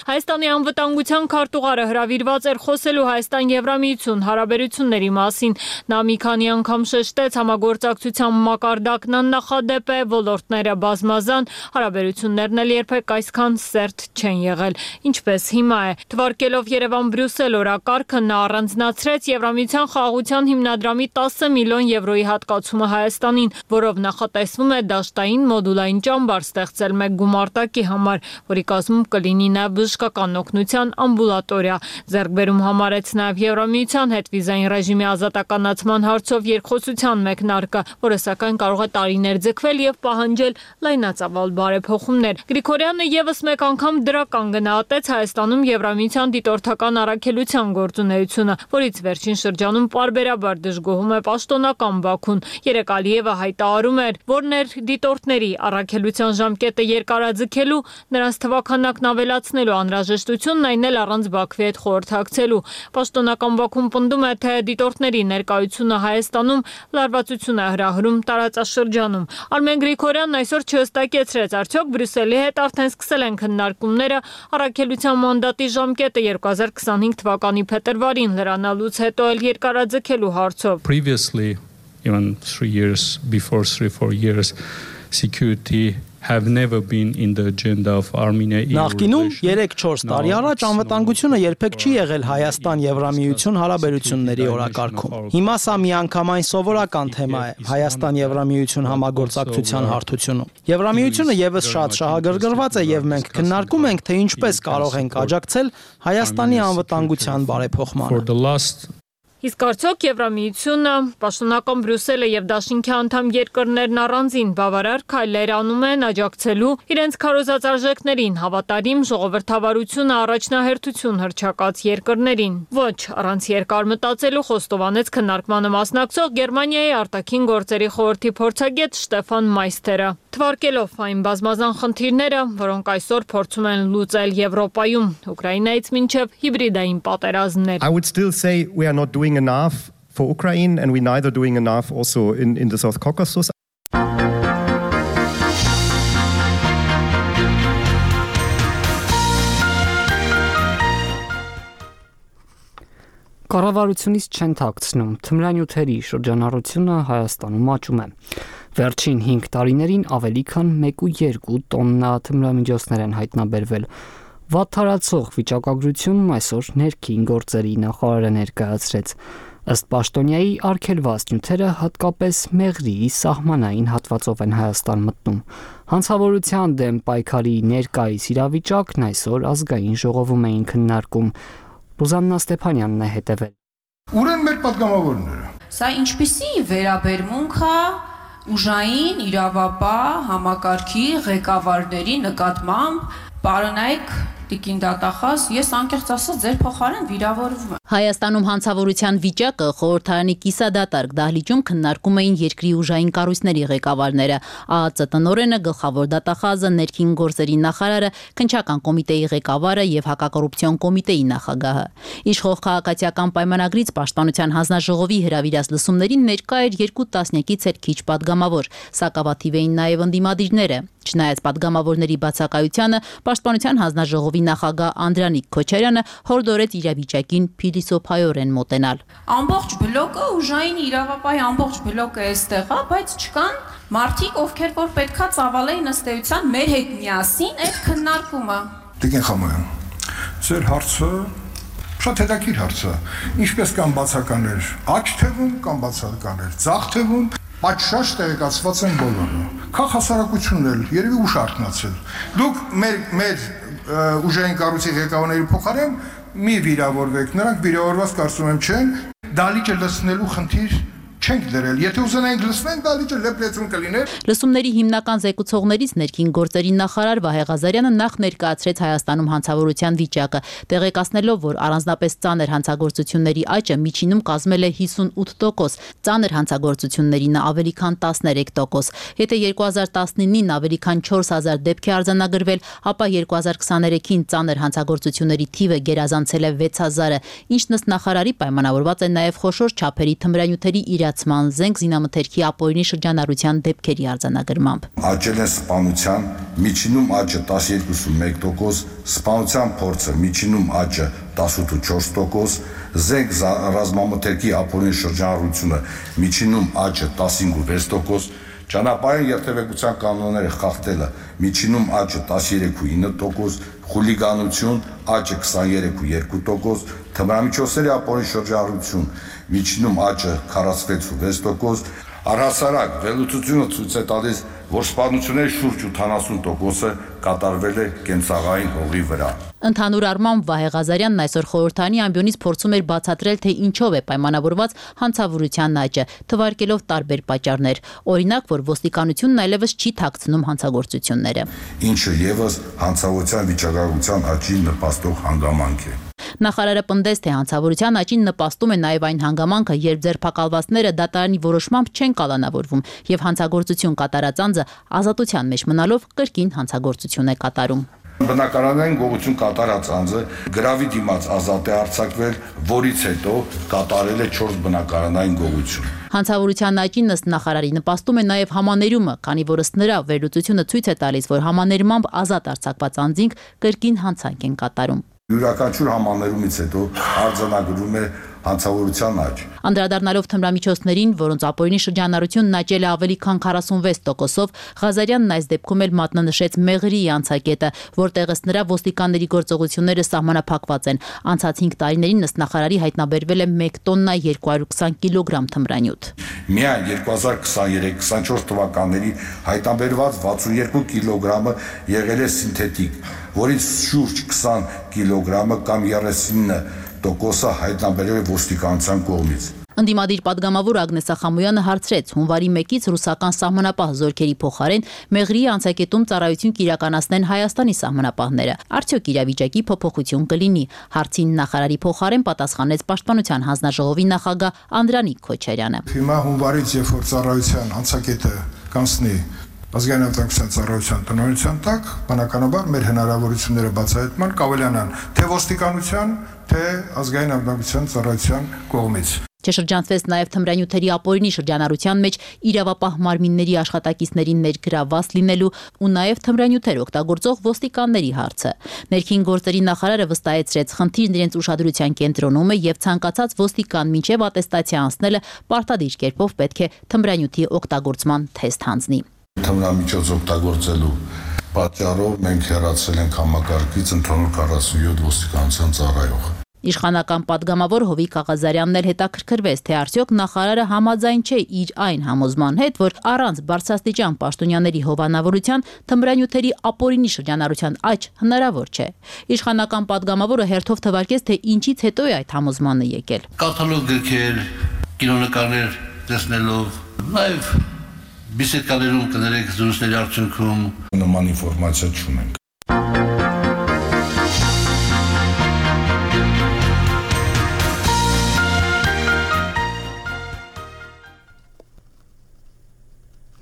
Հայաստանի անվտանգության քարտուղարը հրավիրված էր խոսելու Հայաստան-Եվրամիություն հարաբերությունների մասին։ Նա մի քանի անգամ շեշտեց համագործակցության մակարդակն աննախադեպ է, ոլորտները բազմազան, հարաբերություններն էլ երբեք այսքան սերտ չեն եղել, ինչպես հիմա է։ Թվարկելով Երևան-Բրյուսել օրակարգը նա առանձնացրեց Եվրամիության խաղաղության հիմնադրամի 10 միլիոն եվրոյի հատկացումը Հայաստանին, որով նախատեսվում է դաշտային մոդուլային ճամբար ստեղծել մեկ գումարտակի համար, որի կազմում կլինի նաև բժշկական օգնության ամբուլատորիա։ Ձեռքբերում համարեց նաև Եվրամիության հետ վիզային ռեժիմի ազատականացման հարցով երկխոսության մեկնարկը, որը սակայն կարող է տարիներ ձգվել եւ պահանջել լայնածավալ բարեփոխումներ։ Գրիգորյանը եւս մեկ անգամ դրական գնահատեց Հայաստանում Եվրամիության դիտորդական առաքելության գործունեությունը, որից վերջին շրջանում պարբերաբար դժգոհում է պաշտոնական Բաքուն։ Երեկ Ալիևը հայտարարում էր, որ ներդիտորդների առաքելության ժամկետը երկարաձգելու, նրանց թվաքանակն ավելացնելու անհրաժեշտությունն այն էլ առանց Բաքվի հետ խորհրդակցելու։ Պաշտոնական Բաքուն պնդում է, թե դիտորդների ներկայությունը Հայաստանում լարվածություն է հրահրում տարածաշրջանում։ Արմեն Գրիգորյանն այսօր չհստակեցրեց, արդյոք Բրյուսելի հետ արդեն սկսել են քննարկումները առաքելության մանդատի ժամկետը 2025 թվականի փետրվարին լրանալուց հետո էլ երկարաձգելու հարցով։ Previously, even 3 years before 3-4 years, security have never been in the agenda of Armenia. Նախկինում 3-4 տարի առաջ անվտանգությունը երբեք չի եղել Հայաստան-Եվրամիություն հարաբերությունների օրակարգում։ Հիմա սա միանգամայն սովորական թեմա է Հայաստան-Եվրամիություն համագործակցության հարթությունում։ Եվրամիությունը եւս շատ շահագրգռված է եւ մենք քննարկում ենք, թե ինչպես կարող ենք աջակցել Հայաստանի անվտանգության բարեփոխմանը։ Իսկ արդյոք Եվրամիությունը, պաշտոնական Բրյուսելը եւ Դաշինքի անդամ երկրներն առանձին բավարար քայլեր անում են աջակցելու իրենց քարոզած արժեքներին, հավատարիմ ժողովրդավարությունը առաջնահերթություն հռչակած երկրներին։ Ոչ, առանց երկար մտածելու խոստովանեց քննարկմանը մասնակցող Գերմանիայի արտաքին գործերի խորհրդի փորձագետ Շտեֆան Մայստերը, թվարկելով այն բազմազան խնդիրները, որոնք այսօր փորձում են լուծել Եվրոպայում, Ուկրաինայից մինչև հիբրիդային պատերազմներ։ I would still say we are not doing enough for Ukraine and we're neither doing enough also in the South Caucasus. Կառավարությունից չեն թաքցնում, թմրանյութերի շրջանառությունը Հայաստանում աճում է։ Վերջին 5 տարիներին ավելի քան 1.2 տոննա թմրամիջոցներ են հայտնաբերվել։ Վատթարացող վիճակագրությունն այսօր ներքին գործերի նախարարը ներկայացրեց։ Ըստ պաշտոնյայի արգելված նյութերը հատկապես Մեղրիի սահմանային հատվածով են Հայաստան մտնում։ Հանցավորության դեմ պայքարի ներկայիս իրավիճակն այսօր ազգային ժողովում էին քննարկում։ Ռուզաննա Ստեփանյանն է հետևել։ Ուր են մեր պատգամավորները։ Սա ինչպիսի վերաբերմունք է ուժային իրավապահ համակարգի ղեկավարների նկատմամբ, պարոնայք Տիկին դատախազ, ես անկեղծ ասած ձեր փոխարեն վիրավորվում եմ։ Հայաստանում հանցավորության վիճակը խորհրդարանի կիսադատարկ դահլիճում քննարկում էին երկրի ուժային կառույցների ղեկավարները, ԱԱԾ տնօրենը, գլխավոր դատախազը, ներքին գործերի նախարարը, քննչական կոմիտեի ղեկավարը եւ հակակոռուպցիոն կոմիտեի նախագահը։ Իշխող քաղաքացիական պայմանագրից պաշտպանության հանձնաժողովի հրավիրած լսումներին ներկա էր 2 տասնյակից էլ քիչ падգամավոր, սակավաթիվ էին նաեւ ընդդիմադիրները։ Չնայած падգամավորների բացակայությանը, պաշտպանության հանձնաժողովի նախագահ Անդրանիկ Քոչարյանը հորդորեց իրավիճակին փիլիսոփայորեն մոտենալ։ Ամբողջ բլոկը ուժային իրավապահի ամբողջ բլոկը էստեղ է, բայց չկան մարդիկ, ովքեր որ պետքա ծավալեին ըստ էության մեր հետ միասին այդ քննարկումը։ Տիկին Խամոյան, ձեր հարցը շատ հետաքրքիր հարց է։ Ինչպես կան բացականներ աջ թևում, կան բացականներ ձախ թևում, պատշաճ տեղեկացված են բոլորը։ Քաղաքասարակությունն էլ երևի ուշ արթնացել։ Դուք մեր ուժային կառույցի ղեկավարների փոխարեն մի վիրավորվեք, նրանք վիրավորված կարծում եմ չեն, դալիճը լցնելու խնդիր չենք դրել։ Եթե ուզենայինք լցնենք, դալիճը լեփլեցուն կլիներ։ Լսումների հիմնական զեկուցողներից ներքին գործերի նախարար Վահե Ղազարյանը նախ ներկայացրեց Հայաստանում հանցավորության վիճակը, տեղեկացնելով, որ առանձնապես ծանր հանցագործությունների աճը միջինում կազմել է 58%, ծանր հանցագործություններին ավելի քան 13%։ Եթե 2019-ին ավելի քան 4000 դեպք է արձանագրվել, ապա 2023-ին ծանր հանցագործությունների թիվը գերազանցել է 6000-ը, ինչն ըստ նախարարի պայմանավորված է նաև խոշոր չափերի թմրանյութերի զենք զինամթերքի ապօրինի շրջանառության դեպքերի արձանագրմամբ։ Աճել է սպանության, միջինում աճը 12.1%, սպանության փորձը միջինում աճը 18.4%, զենք ռազմամթերքի ապօրինի շրջանառությունը միջինում աճը 15.6%, ճանապարհային երթևեկության կանոնները խախտելը միջինում աճը 13.9%, խուլիգանություն աճը 23.2%, թմրամիջոցների ապօրինի շրջանառություն միջինում աճը 46.6%, Առհասարակ վերլուծությունը ցույց է տալիս, որ սպանությունների շուրջ 80%-ը կատարվել է կենցաղային հողի վրա։ Ընդհանուր առմամբ Վահե Ղազարյանն այսօր խորհրդանի ամբիոնից փորձում էր բացատրել, թե ինչով է պայմանավորված հանցավորության աճը, թվարկելով տարբեր պատճառներ։ Օրինակ, որ ոստիկանությունն այլևս չի թաքցնում հանցագործությունները։ Ինչը եւս հանցավորության վիճակագրության աճին նպաստող հանգամանք է։ Նախարարը պնդեց, թե հանցավորության աճին նպաստում է նաև այն հանգամանքը, երբ ձերբակալվածները դատարանի որոշմամբ չեն կալանավորվում եւ հանցագործություն կատարած անձը ազատության մեջ մնալով կրկին հանցագործություն է կատարում։ Բնակարանային գողություն կատարած անձը գրավի դիմաց ազատ է արձակվել, որից հետո կատարել է 4 բնակարանային գողություն։ Հանցավորության աճին ըստ նախարարի նպաստում է նաև համաներումը, քանի որ ըստ նրա վերլուծությունը ցույց է տալիս, որ համաներմամբ ազատ արձակված անձինք կրկին հանցանք են կատարում։ Յուրաքանչյուր համաներումից հետո արձանագրում է հանցավորության աճ։ Անդրադառնալով թմրամիջոցներին, որոնց ապօրինի շրջանառությունն աճել է ավելի քան 46%-ով, Ղազարյանն այս դեպքում էլ մատնանշեց Մեղրիի անցակետը, որտեղ ըստ նրա ոստիկանների գործողությունները սահմանափակված են։ Անցած 5 տարիներին ըստ նախարարի հայտնաբերվել է 1 տոննա 220 կիլոգրամ թմրանյութ։ Միայն 2023-24 թվականների հայտնաբերված 62 կիլոգրամը եղել է սինթետիկ, որից շուրջ 20 կիլոգրամը կամ 39% հայտնաբերել է ոստիկանության կողմից։ Ընդդիմադիր պատգամավոր Ագնեսա Խամոյանը հարցրեց հունվարի 1-ից ռուսական սահմանապահ զորքերի փոխարեն Մեղրիի անցակետում ծառայություն կիրականացնեն Հայաստանի սահմանապահները։ Արդյոք իրավիճակի փոփոխություն կլինի։ Հարցին նախարարի փոխարեն պատասխանեց Պաշտպանության հանձնաժողովի նախագահ Անդրանիկ Քոչարյանը։ Հիմա հունվարից, երբ որ ծառայության անցակետը կանցնի ազգային անվտանգության ծառայության տնօրինության տակ, բնականաբար մեր հնարավորությունները բացահայտման կավելանան թե ոստիկանության, թե ազգային անվտանգության ծառայության կողմից։ Չշրջանցվեց նաև թմրանյութերի ապօրինի շրջանառության մեջ իրավապահ մարմինների աշխատակիցներին ներգրավված լինելու ու նաև թմրանյութեր օգտագործող ոստիկանների հարցը։ Ներքին գործերի նախարարը վստահեցրեց, խնդիրն իրենց ուշադրության կենտրոնում է եւ ցանկացած ոստիկան մինչեւ ատեստացիա անցնելը պարտադիր կերպով պետք է թմրանյութի օգտագործման թեստ հանձնի։ Թմրամիջոց օգտագործելու պատճառով մենք հեռացել ենք համակարգից ընդհանուր 47 ոստիկանության ծառայող։ Իշխանական պատգամավոր Հովիկ Ղազարյանն էլ հետաքրքրվեց, թե արդյոք նախարարը համաձայն չէ իր այն համոզման հետ, որ առանց բարձրաստիճան պաշտոնյաների հովանավորության թմրանյութերի ապօրինի շրջանառության աճ հնարավոր չէ։ Իշխանական պատգամավորը հերթով թվարկեց, թե ինչից հետո է այդ համոզմանը եկել։ Կատալոգ գրքեր, կինոնկարներ տեսնելով, նաև բիսեդկաներում կներեք զրույցների արդյունքում նման ինֆորմացիա չունենք։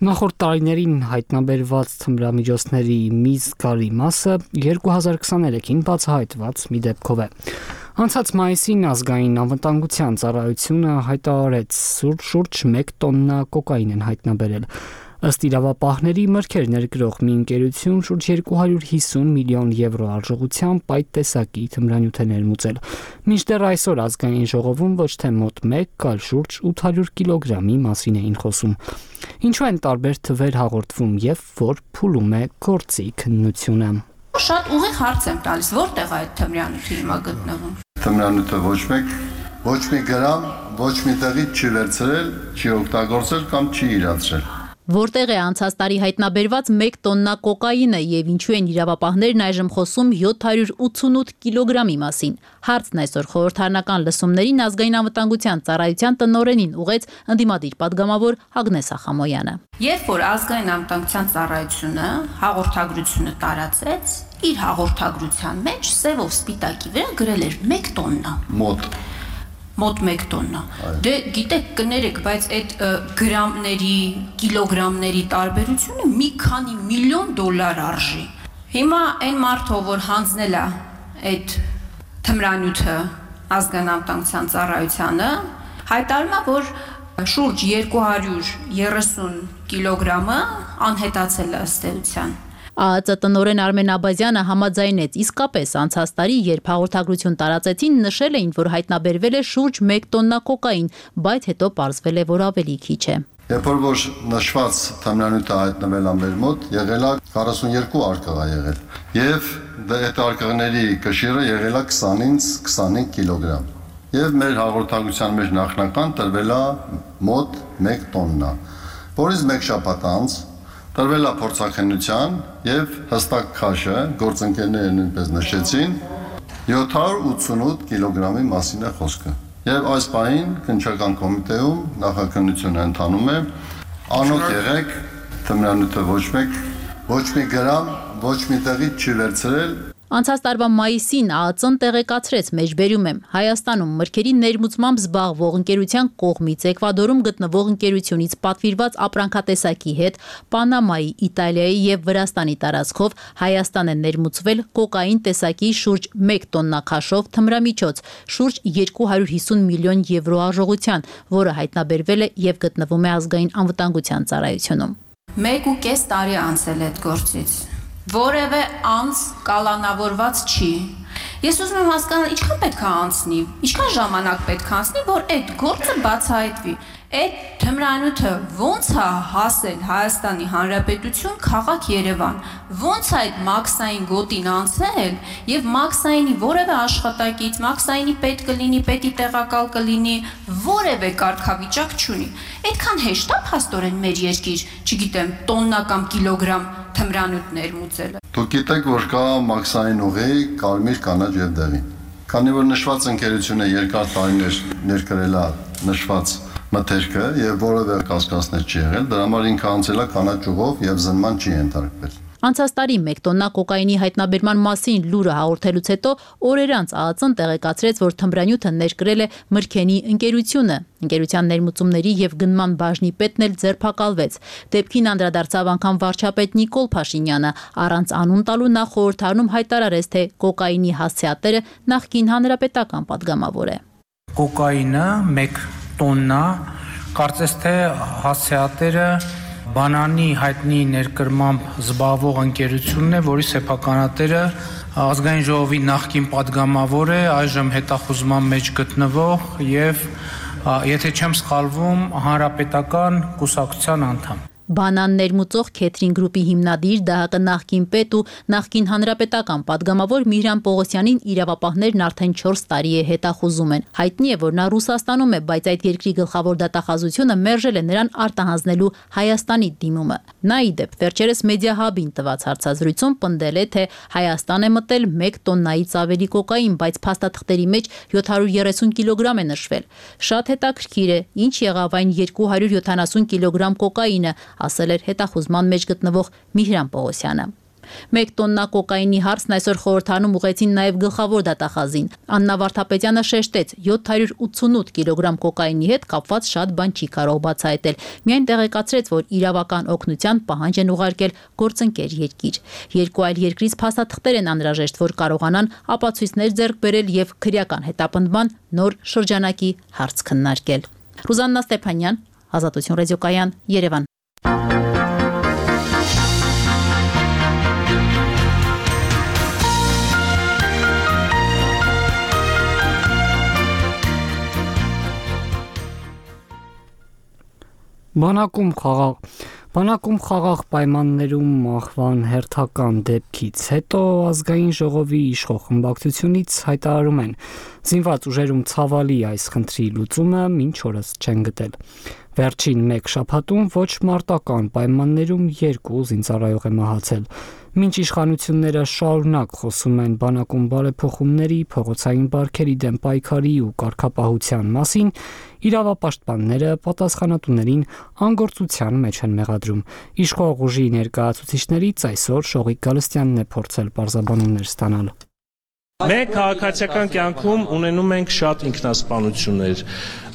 Նախորդ տարիներին հայտնաբերված թմրամիջոցների մի զգալի մասը 2023-ին բացահայտված մի դեպքով է։ Անցած մայիսին ազգային անվտանգության ծառայությունը հայտարարեց շուրջ 1 տոննա կոկաին են հայտնաբերել։ Ըստ իրավապահների մրգեր ներգրող մի ընկերություն շուրջ 250 միլիոն եվրո արժողությամբ այդ տեսակի թմրանյութ է ներմուծել։ Մինչդեռ այսօր ազգային ժողովում ոչ թե մոտ 1, այլ շուրջ 800 կիլոգրամի մասին էին խոսում։ Ինչու են տարբեր թվեր հաղորդվում եւ որ փուլում է գործի քննությունը։ Շատ ուղիղ հարց եմ տալիս, որտեղ այդ թմրանյութը հիմա գտնվում։ Թմրանյութը ոչ մի գրամ, ոչ մի տեղից չի վերցրել, չի օգտագործել կամ չի իրացրել։ Որտեղ է անցած տարի հայտնաբերված 1 տոննա կոկաինը եւ ինչու են իրավապահներն այժմ խոսում 788 կիլոգրամի մասին։ Հարցն այսօր խորհրդարանական լսումներին ազգային անվտանգության ծառայության տնօրենին ուղեց ընդդիմադիր պատգամավոր Ագնեսա Խամոյանը։ Երբ որ ազգային անվտանգության ծառայությունը հաղորդագրությունը տարածեց, իր հաղորդագրության մեջ սևով սպիտակի վրա գրել էր 1 տոննա։ Մոտ 1 տոննա։ Դե գիտեք, կներեք, բայց այդ գրամների, կիլոգրամների տարբերությունը մի քանի միլիոն դոլար արժի։ Հիմա այն մարդը, որ հանձնել է այդ թմրանյութը ազգային անվտանգության ծառայությանը, հայտարարում է, որ շուրջ 230 կիլոգրամը անհետացել է ըստ էության։ ԱԱԾ տնօրեն Արմեն Աբազյանը համաձայնեց, իսկապես անցած տարի, երբ հաղորդագրություն տարածեցին, նշել էին, որ հայտնաբերվել է շուրջ 1 տոննա կոկաին, բայց հետո պարզվել է, որ ավելի քիչ է։ Երբ որ նշված թմրանյութը հայտնվել է մեր մոտ, եղել է 42 արկղ եղել, եւ այդ արկղների կշիռը եղել է 20-ից 25 կիլոգրամ։ եւ մեր հաղորդակցության մեջ նախնական տրվել է մոտ 1 տոննա, որից 1 շաբաթ անց տրվել է փորձաքննության եւ հստակ քաշը գործընկերները նույնպես նշեցին 788 կիլոգրամի մասին է խոսքը։ Եվ այս պահին քննչական կոմիտեում նախաքննությունը ընթանում է, անոտ եղեք, թմրանյութը ոչ մի գրամ, ոչ մի տեղից չի վերցրել։ Անցած տարվա մայիսին ԱԱԾ-ն տեղեկացրեց, մեջբերում եմ, Հայաստանում մրգերի ներմուծմամբ զբաղվող ընկերության կողմից Էկվադորում գտնվող ընկերությունից պատվիրված ապրանքատեսակի հետ Պանամայի, Իտալիայի եւ Վրաստանի տարածքով Հայաստան է ներմուծվել կոկային տեսակի շուրջ 1 տոննա քաշով թմրամիջոց, շուրջ 250 միլիոն եվրո արժողության, որը հայտնաբերվել է եւ գտնվում է ազգային անվտանգության ծառայությունում։ 1.5 տարի անցել այդ գործից։ Որևէ անձ կալանավորված չի։ Ես ուզում եմ հասկանալ, ինչքան պետք է անցնի, ինչքան ժամանակ պետք է անցնի, որ այդ գործը բացահայտվի։ Այդ թմրանյութը ոնց է հասել Հայաստանի Հանրապետություն, քաղաք Երևան, ոնց է այդ մաքսային գոտին անցել եւ մաքսայինի որևէ աշխատակից, մաքսայինի պետ կլինի, պետի տեղակալ կլինի, որևէ կարգավիճակ չունի։ Այդքան հեշտ է փաստորեն մեր երկիր, չգիտեմ, տոննա կամ կիլոգրամ թմրանյութ ներմուծելը։ Դուք գիտեք, որ կա մաքսային ուղի, կարմիր, կանաչ եւ դեղին։ Քանի որ նշված ընկերությունը երկար տարիներ ներկրել է նշված մթերքը եւ որևէ կասկածներ չի եղել, դրա համար ինքը անցել է կանաչ ուղով եւ զննման չի ենթարկվել։ Անցած տարի 1 տոննա կոկայինի հայտնաբերման մասին լուրը հաղորդելուց հետո օրեր անց ԱԱԾ-ն տեղեկացրեց, որ թմրանյութը ներկրել է Մրգենի ընկերությունը։ Ընկերության ներմուծումների եւ գնման բաժնի պետն էլ ձերբակալվեց։ Դեպքին անդրադարձավ անգամ վարչապետ Նիկոլ Փաշինյանը, առանց անուն տալու նա խորհրդարանում հայտարարեց, թե կոկայինի հասցեատերը նախկին հանրապետական падգամավոր է։ Կոկայինը 1 տոննա, կարծես թե հասցեատերը բանանի հայտնի ներկրմամբ զբաղվող ընկերությունն է, որի սեփականատերը ազգային ժողովի նախկին падգամավոր է, այժմ հետախուզման մեջ գտնվող եւ եթե չեմ սխալվում, հանրապետական կուսակցության անդամ։ Բանան ներմուծող Քեթրին գրուպի հիմնադիր ԴՀԿ նախկին պետ ու նախկին հանրապետական падգամավոր Միհրան Պողոսյանին իրավապահներն արդեն 4 տարի է հետախուզում են։ Հայտնի է, որ նա Ռուսաստանում է, բայց այդ երկրի գլխավոր դատախազությունը մերժել է նրան արտահանձնելու Հայաստանի դիմումը։ Նա ի դեպ վերջերս Մեդիահաբին տված հարցազրույցում պնդել է, թե Հայաստան է մտել 1 տոննայից ավելի կոկային, բայց փաստաթղթերի մեջ 730 կիլոգրամ է նշվել։ Շատ հետաքրքիր է, ինչ եղավ այն 270 կիլոգրամ կոկայինը, ասել էր հետախուզման մեջ գտնվող Միհրան Պողոսյանը։ 1 տոննա կոկայինի հարցն այսօր խորհրդարանում ուղղեցին նաև գլխավոր դատախազին։ Աննա Վարդապետյանը շեշտեց, 788 կիլոգրամ կոկայինի հետ կապված շատ բան չի կարող բացահայտել։ Միայն տեղեկացրեց, որ իրավական օգնության պահանջ են ուղարկել գործընկեր երկիր։ Երկու այլ երկրից փաստաթղթեր են անհրաժեշտ, որ կարողանան ապացույցներ ձեռք բերել եւ քրեական հետապնդման նոր շրջանակի հարց քննարկել։ Ռուզաննա Ստեփանյան, Ազատություն ռադիոկայան, Երևան։ Բանակում խաղաղ պայմաններում մահվան հերթական դեպքից հետո ազգային ժողովի իշխող խմբակցությունից հայտարարում են, զինված ուժերում ցավալի այս խնդրի լուծումը մինչ օրս չեն գտել։ Վերջին 1 շաբաթում ոչ մարտական պայմաններում 2 զինծառայող է մահացել։ Մինչ իշխանությունները շարունակ խոսում են բանակում բարեփոխումների, փողոցային բարքերի դեմ պայքարի ու կարգապահության մասին, իրավապաշտպանները պատասխանատուներին անգործության մեջ են մեղադրում։ Իշխող ուժի ներկայացուցիչներից այսօր Շողիկ Գալստյանն է փորձել պարզաբանումներ ստանալ։ Մենք քաղաքացիական կյանքում ունենում ենք շատ ինքնասպանություններ,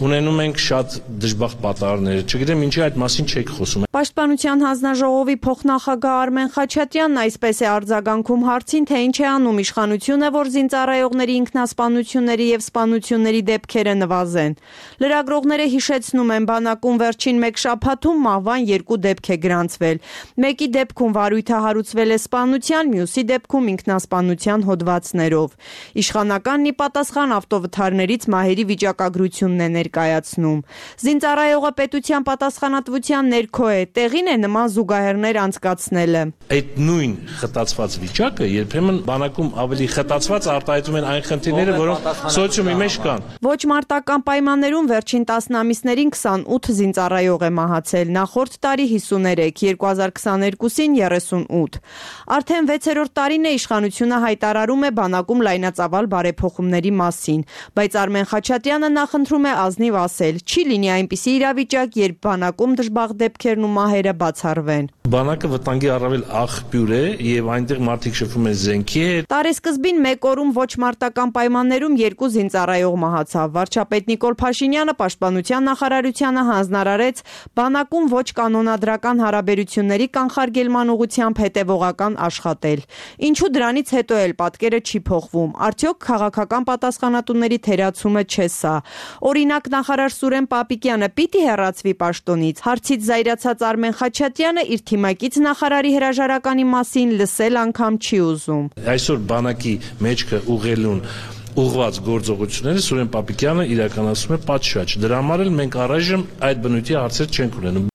ունենում ենք շատ դժբախտ պատահարներ, չգիտեմ ինչի այդ մասին չեք խոսում։ Պաշտպանության հանձնաժողովի փոխնախագահ Արմեն Խաչատրյանն այսպես է արձագանքում հարցին, թե ինչ է անում իշխանությունը, որ զինծառայողների ինքնասպանությունների եւ սպանությունների դեպքերը նվազեն։ Լրագրողները հիշեցնում են, բանակում վերջին 1 շաբաթում մահվան 2 դեպք է գրանցվել։ Մեկի դեպքում վարույթը հարուցվել է սպանության, մյուսի դեպքում ինքնասպանության հոդվածներով։ Իշխանականն ի պատասխան ավտովթարներից մահերի վիճակագրությունն է ներկայացնում։ Զինծառայողը պետության պատասխանատվության ներքո է, տեղին է նման զուգահեռներ անցկացնելը։ Այդ նույն խտացված վիճակը երբեմն բանակում ավելի խտացված արտահայտում են այն խնդիրները, որոնք սոցիումի մեջ կան։ Ոչ մարտական պայմաններում վերջին 10 ամիսներին 28 զինծառայող է մահացել, նախորդ տարի 53, 2022-ին 38։ Արդեն 6-րդ տարին է իշխանությունը հայտարարում է բանակում լայնածավալ բարեփոխումների մասին, բայց Արմեն Խաչատրյանը նախընտրում է ազնիվ ասել, չի լինի այնպիսի իրավիճակ, երբ բանակում դժբախտ դեպքերն ու մահերը բացառվեն։ Բանակը վտանգի առավել աղբյուր է եւ այնտեղ մարդիկ շփվում են զենքի հետ։ Տարեսկզբին մեկ օրում ոչ մարտական պայմաններում 2 զինծառայող մահացավ։ Վարչապետ Նիկոլ Փաշինյանը պաշտպանության նախարարությանը հանձնարարեց բանակում ոչ կանոնադրական հարաբերությունների կանխարգելման ուղղությամբ հետևողական աշխատել։ Ինչու դրանից հետո էլ պատկերը չի փոխվում։ Արդյոք քաղաքական պատասխանատուների թերացումը չէ սա։ Օրինակ նախարար Սուրեն Պապիկյանը պիտի հեռացվի պաշտոնից։ Հարցից զայրացած Արմեն Խաչատրյանը իր թիմակից նախարարի հրաժարականի մասին լսել անգամ չի ուզում։ Այսօր բանակի մեջքը ուղղելուն ուղղված գործողությունները Սուրեն Պապիկյանը իրականացնում է պատշաճ։ Դրա համար էլ մենք առայժմ այդ բնույթի հարցեր չենք ունենում։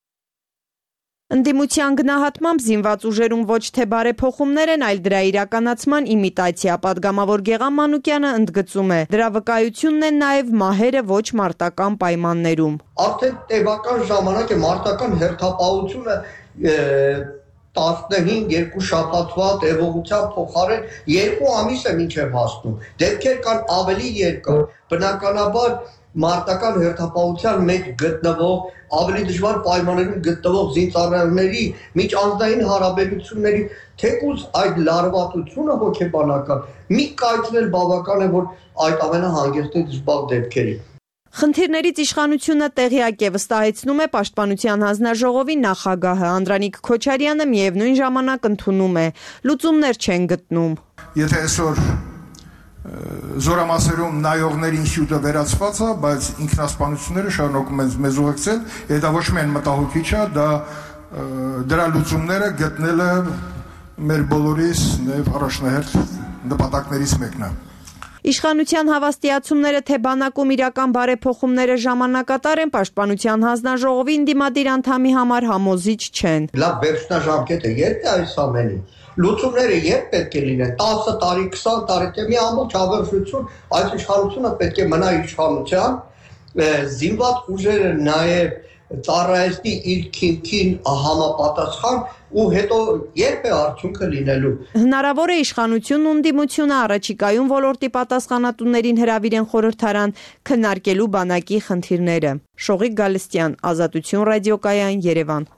Ընդդիմության գնահատմամբ զինված ուժերում ոչ թե բարեփոխումներ են, այլ դրա իրականացման իմիտացիա։ Պատգամավոր Գեղամ Մանուկյանը ընդգծում է, դրա վկայությունն են նաև մահերը ոչ մարտական պայմաններում։ Արդեն տևական ժամանակ է մարտական հերթապահությունը 15-2 շաբաթվա տևողության փոխարեն 2 ամիս է մինչև հասնում։ Դեպքեր կան ավելի երկար։ Բնականաբար մարտական հերթապահության մեջ գտնվող ավելի դժվար պայմաններում գտնվող զինծառայողների միջանձնային հարաբերությունների թեկուզ այդ լարվածությունը հոգեբանական մի կայացնել բավական է, որ այդ ամենը հանգեցնի դժբախտ դեպքերի։ Խնդիրներից իշխանությունը տեղյակ է, վստահեցնում է Պաշտպանության հանձնաժողովի նախագահը Անդրանիկ Քոչարյանը միևնույն ժամանակ ընդունում է, լուծումներ չեն գտնում։ Եթե այսօր զորամասերում նայողներին հյութը վերացված է, բայց ինքնասպանությունները շարունակում են մեզ ուղեկցել, եւ դա ոչ միայն մտահոգիչ է, դրա լուծումները գտնելը մեր բոլորիս նաեւ առաջնահերթ նպատակներից մեկն է։ Իշխանության հավաստիացումները, թե բանակում իրական բարեփոխումները ժամանակատար են, Պաշտպանության հանձնաժողովի ընդդիմադիր անդամի համար համոզիչ չեն։ Լավ վերջնաժամկետ է, երբ է այս ամենի։ Լուծումները երբ պետք է լինեն 10 տարի, 20 տարի, թե մի ամբողջ հավերժություն, այս իշխանությունը պետք է մնա իշխանության, զինված ուժերը նաև ծառայեցնի իր քիմքին համապատասխան ու հետո երբ է արդյունքը լինելու։ Հնարավոր է իշխանությունն ու ընդդիմությունը առաջիկայում ոլորտի պատասխանատուներին հրավիրեն խորհրդարան քննարկելու բանակի խնդիրները։ Շողիկ Գալստյան, Ազատություն ռադիոկայան, Երևան։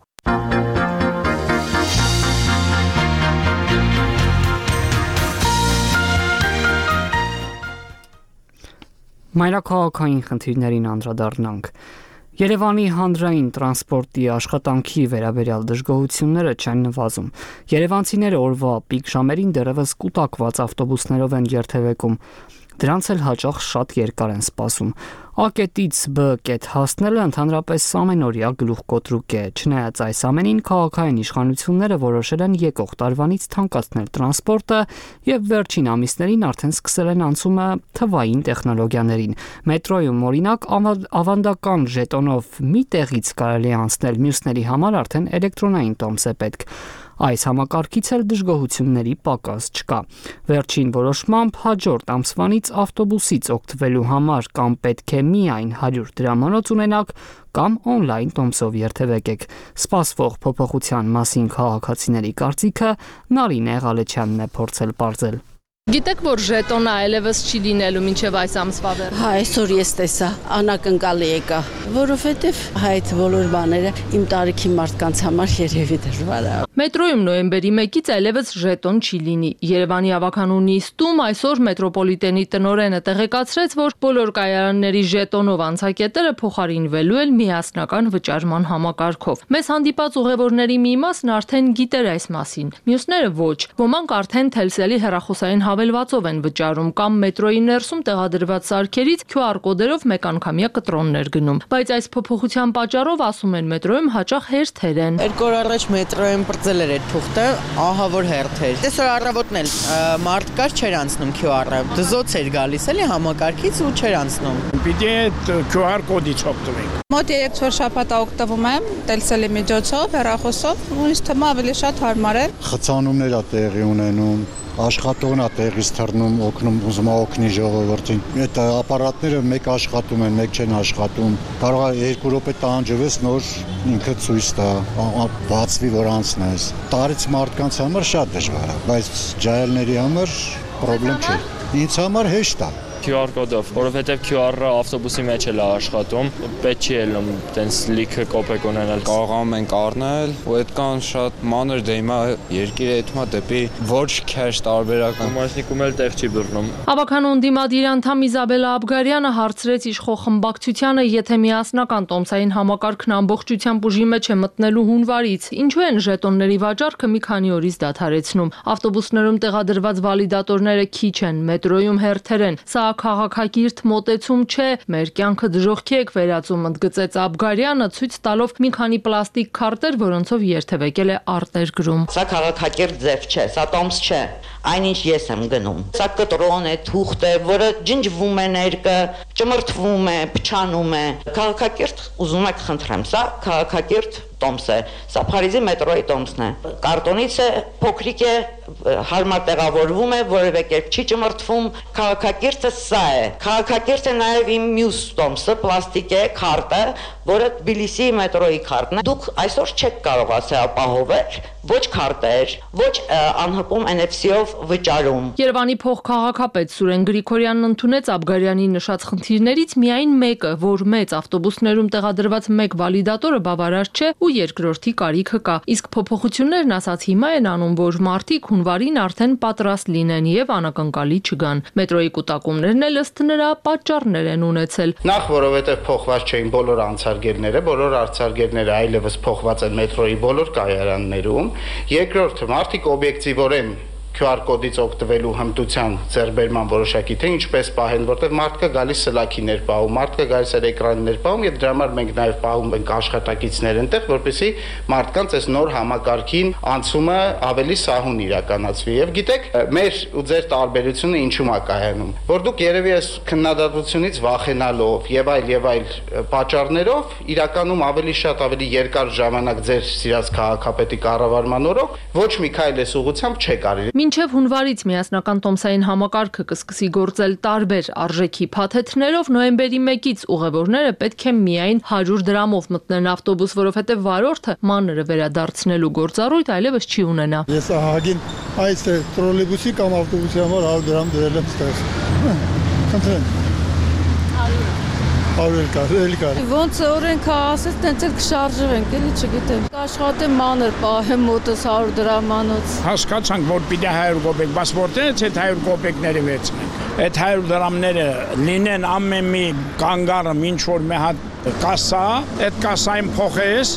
Մայրաքաղաքային խնդիրներին անդրադառնանք։ Երևանի հանրային տրանսպորտի աշխատանքի վերաբերյալ դժգոհությունները չեն նվազում։ Երևանցիները օրվա պիկ ժամերին դեռևս կուտակված ավտոբուսներով են երթևեկում։ Դրանց էլ հաճախ շատ երկար են սպասում։ A կետից B կետ հասնելը ընդհանրապես ամենօրյա գլուխկոտրուկ է։ Չնայած այս ամենին, քաղաքային իշխանությունները որոշել են եկող տարվանից թանկացնել տրանսպորտը եւ վերջին ամիսներին արդեն սկսել են անցումը թվային տեխնոլոգիաներին։ Մետրոյում օրինակ ավանդական ժետոնով մի տեղից կարելի է անցնել, մյուսների համար արդեն էլեկտրոնային տոմս է պետք։ Այս համակարգից էլ դժգոհությունների պակաս չկա։ Վերջին որոշմամբ հաջորդ ամսվանից ավտոբուսից օգտվելու համար կամ պետք է միայն 100 դրամանոց ունենաք, կամ on-line տոմսով երթևեկեք։ Սպասվող փոփոխության մասին քաղաքացիների կարծիքը Նարինե Ղալեչյանն է փորձել պարզել։ Գիտեք, որ ժետոնը այլևս չի լինելու մինչև այս ամսվա վերջ։ Հա, այսօր ես տեսա, անակնկալի եկա, որովհետև այդ բոլոր բաները իմ տարիքի մարդկանց համար երևի դժվար է։ Մետրոյում նոյեմբերի 1-ից այլևս ժետոն չի լինի։ Երևանի ավականու նիստում այսօր մետրոպոլիտենի տնօրենը տեղեկացրեց, որ բոլոր կայարանների ժետոնով անցակետերը փոխարինվելու են միասնական վճարման համակարգով։ Մեզ հանդիպած ուղևորների մի մասն արդեն գիտեր այս մասին, մյուսները ոչ։ Ոմանք արդեն Թելսելի հեռախոսային հավելվածով են վճարում կամ մետրոյի ներսում տեղադրված սարքերից QR կոդերով մեկանգամյա կտրոններ գնում։ Բայց այս փոփոխության պատճառով, ասում են, մետրոյում հաճախ հերթեր են։ 2 օր առաջ մետրոյում բրծել էր այդ թուղթը, ահա որ հերթեր։ Այսօր առավոտն էլ մարդ կար, չէր անցնում QR-ը։ Դզոց էր գալիս էլի համակարգից ու չէր անցնում։ Պիտի QR կոդից օգտվենք։ Մոտ 3-4 շաբաթ օգտվում եմ Telcel-ի միջոցով, հեռախոսով, ու ինձ թվում է ավելի շատ հարմար է։ Խցանումներ է տեղի ունենում, աշխատողն է տեղից թռնում, օգնում, ուզում է օգնի ժողովրդին։ Այդ ապարատները մեկ աշխատում են, մեկ չեն աշխատում։ Կարող է 2 րոպե տանջվես, նոր ինքը ցույց տա, բացվի որ անցնես։ Տարից մարդկանց համար շատ դժվար է, բայց ջահելների համար խնդրեմ չէ։ Ինձ համար հեշտ է։ QR կոդով, որովհետև QR-ը ավտոբուսի մեջ էլ է աշխատում, պետք չի ելնում տենց լիքը կոպեկ ունենալ։ Կարողանում ենք առնել, ու այդքան շատ մանր դե հիմա երկիրը այդմա դեպի ոչ քեշ տարբերական մաշնիկում էլ տեղ չի բռնում։ Հավաքանուն դիմադիր անդամ Իզաբելա Աբգարյանը հարցրեց իշխող խմբակցությանը, եթե միասնական տոմսային համակարգն ամբողջությամբ ուժի մեջ է մտնելու հունվարից, ինչու են ժետոնների վաճառքը մի քանի օրից դադարեցնում։ Ավտոբուսներում տեղադրված վալիդատորները քիչ են, մետրոյում հերթեր են։ Սա քաղաքակիրթ մոտեցում չէ, մեր կյանքը դժոխքի եք վերածում, ընդգծեց Աբգարյանը, ցույց տալով մի քանի պլաստիկ քարտեր, որոնցով երթևեկել է արտեր գրում։ Սա քաղաքակիրթ ձև չէ, սա տոմս չէ, այնինչ ես եմ գնում։ Սա կտրոն է, թուղթ է, որը ջնջվում է ներկը, ճմրթվում է, փչանում է։ Քաղաքակիրթ, ուզում եք խնդրեմ, սա քաղաքակիրթ տոմս է, սա Փարիզի մետրոյի տոմսն է։ Կարտոնից է, փոքրիկ է, հարմար տեղավորվում է, որևէ կերպ չի ճմրթվում, քաղաքակիրթը սա է։ Քաղաքակիրթ է նաև իմ մյուս տոմսը, պլաստիկ է, քարտը, որը Թբիլիսի մետրոյի քարտն է։ Դուք այսօր չեք կարող ասել ապահովել ոչ քարտեր, ոչ անհպում NFC-ով վճարում։ Երևանի փոխքաղաքապետ Սուրեն Գրիգորյանն ընդունեց Աբգարյանի նշած խնդիրներից միայն մեկը, որ մեծ ավտոբուսներում տեղադրված մեկ վալիդատորը բավարար չէ ու երկրորդի կարիքը կա։ Իսկ փոփոխություններն ասած հիմա են անում, որ մարդիկ հունվարին արդեն պատրաստ լինեն եւ անակնկալի չգան։ Մետրոյի կուտակումներն էլ ըստ նրա պատճառներ են ունեցել։ Նախ որովհետեւ փոխված չէին բոլոր անցարգերները, բոլոր անցարգերները այլևս փոխված են մետրոյի բոլոր կայարաններում։ Երկրորդը մարդիկ օբյեկտիվորեն QR կոդից օգտվելու հմտության ձեռբերման որոշակի թե ինչպես պահեն, որտեղ մարդկա գալիս սլաքիներ պահում, մարդկա գալիս էր էկրաններ պահում, եւ դրա համար մենք նաեւ պահում ենք աշխատակիցներ այնտեղ, որպեսզի մարդկանց այս նոր համակարգին անցումը ավելի սահուն իրականացվի։ Եվ գիտեք, մեր ու ձեր տարբերությունը ինչու՞մ է կայանում, որ դուք երևի այս քննադատությունից վախենալով եւ այլ պատճառներով իրականում ավելի շատ ավելի երկար ժամանակ ձեր սիրած քաղաքապետի կառավարման օրոք ոչ մի քայլ այս ուղղությամբ չեք արել։ Մինչև հունվարից միասնական տոմսային համակարգը կսկսի գործել տարբեր արժեքի փաթեթներով, նոյեմբերի 1-ից ուղևորները պետք է միայն 100 դրամով մտնեն ավտոբուս, որովհետև վարորդը մանրը վերադարձնելու գործառույթ այլևս չի ունենա։ Ես ահագին այս տրոլեյբուսի կամ ավտոբուսի համար 100 դրամ դրել եմ ստեղ։ Խնդրեմ։ 100 կար։ Ոնց օրենքը ասեց, տենց էլ կշարժվենք, էլի չգիտեմ։ Աշխատեմ մանր պահեմ մոտս 100 դրամանոց։ Հասկացանք, որ պիտի 100 կոպեկ, բայց որտեղից այդ 100 կոպեկները վերցնենք։ Այդ 100 դրամները լինեն ամեն մի կանգառը ինչ որ մի հատ կասա, այդ կասային փոխես,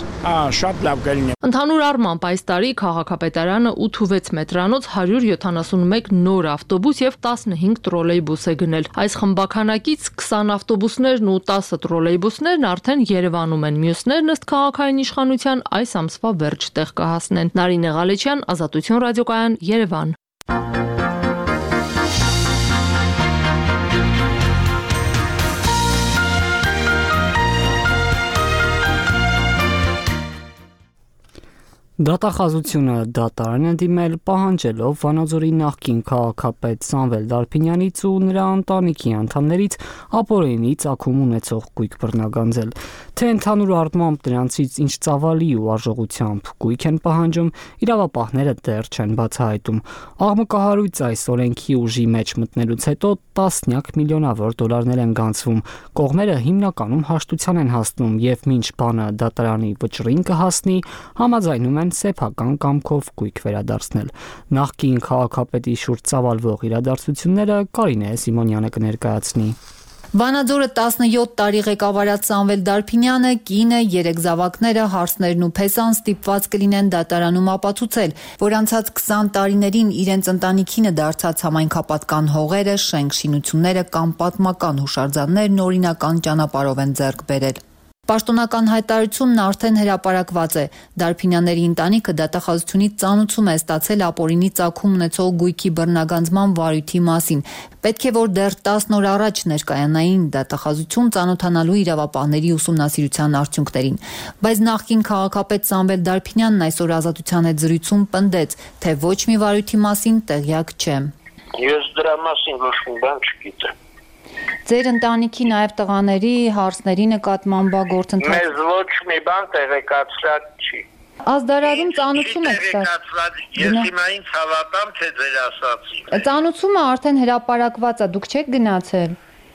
շատ լավ կլինի։ Ընդհանուր առմամբ այս տարի քաղաքապետարանը 8-6 մետրանոց 171 նոր ավտոբուս եւ 15 տրոլեյբուս է գնել։ Այս խմբականակից 20 ավտոբուսներն ու 10 տրոլեյբուսներն արդեն Երևանում են, մյուսներն ըստ քաղաքային իշխանության այս ամսվա վերջ տեղ կհասնեն։ Նարինե Ղալեչյան, Ազատություն ռադիոկայան, Երևան։ Դատախազությունը դատարան է դիմել պահանջելով Վանաձորի նախկին քաղաքապետ Սամվել Դարփինյանից ու նրա ընտանիքի անդամներից ապօրինի ծագում ունեցող գույք բռնագանձել, թե ընդհանուր առմամբ նրանցից ինչ ծավալի ու արժողությամբ գույք են պահանջում, իրավապահները դեռ չեն բացահայտում։ Աղմկահարույց այս օրենքի ուժի մեջ մտնելուց հետո տասնյակ միլիոնավոր դոլարներ են գանձվում։ Կողմերը հիմնականում հաշտության են հասնում եւ մինչ բանը դատարանի վճռին կհասնի, համաձայնում են սեփական կամքով գույք վերադարձնել։ Նախկին քաղաքապետի շուրջ ծավալվող իրադարձությունները Կարինե Սիմոնյանը կներկայացնի։ Վանաձորը 17 տարի ղեկավարած Սամվել Դարփինյանը, կինը, 3 զավակները, հարսներն ու փեսան ստիպված կլինեն դատարանում ապացուցել, որ անցած 20 տարիներին իրենց ընտանիքինը դարձած համայնքապատկան հողերը, շենք շինությունները կամ պատմական հուշարձաններն օրինական ճանապարհով են ձեռք բերել։ Պաշտոնական հայտարարությունն արդեն հրապարակված է։ Դարփինյանների ընտանիքը դատախազությունից ծանուցում է ստացել ապօրինի ծագում ունեցող գույքի բռնագանձման վարույթի մասին։ Պետք է որ դեռ 10 օր առաջ ներկայանային դատախազություն ծանոթանալու իրավապահների ուսումնասիրության արդյունքներին։ Բայց նախկին քաղաքապետ Սամվել Դարփինյանն այսօր Ազատության հետ զրույցում պնդեց, թե ոչ մի վարույթի մասին տեղյակ չէ։ Ես դրա մասին ոչ մի բան չգիտեմ։ Ձեր ընտանիքի նաև տղաների, հարսների նկատմամբ գործընթաց։ Մեզ ոչ մի բան տեղեկացրած չի։ Ազդարարում ծանուցում եք տեղեկացրած։ Ես հիմա ինձ հավատամ, թե ձեր ասացին։ Ծանուցումը արդեն հրապարակված է, դուք չեք գնացել։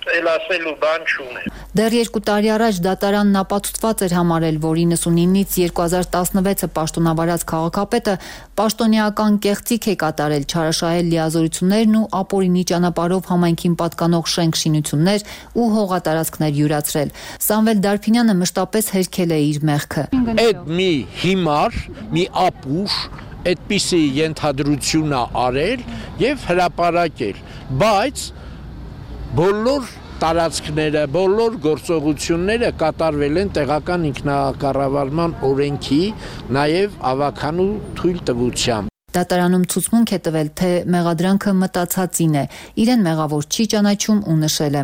Էլ ասելու բան չունեմ։ Դեռ 2 տարի առաջ դատարանն ապացուցված էր համարել, որ 99-ից 2016-ը պաշտոնավարած քաղաքապետը պաշտոնեական կեղծիք է կատարել, չարաշահել լիազորություններն ու ապօրինի ճանապարհով համայնքին պատկանող շենք շինություններ ու հողատարածքներ յուրացրել։ Սամվել Դարփինյանը մշտապես հերքել է իր մեղքը։ Այդ մի հիմար, մի ապուշ այդպիսի ենթադրություն է արել եւ հրապարակել, բայց բոլոր տարածքները, բոլոր գործողությունները կատարվել են տեղական ինքնակառավարման օրենքի, նաև ավականու թույլտվությամբ։ Դատարանում ցուցմունք է տվել, թե մեղադրանքը մտածածին է, իրեն մեղավոր չի ճանաչում ու նշել է.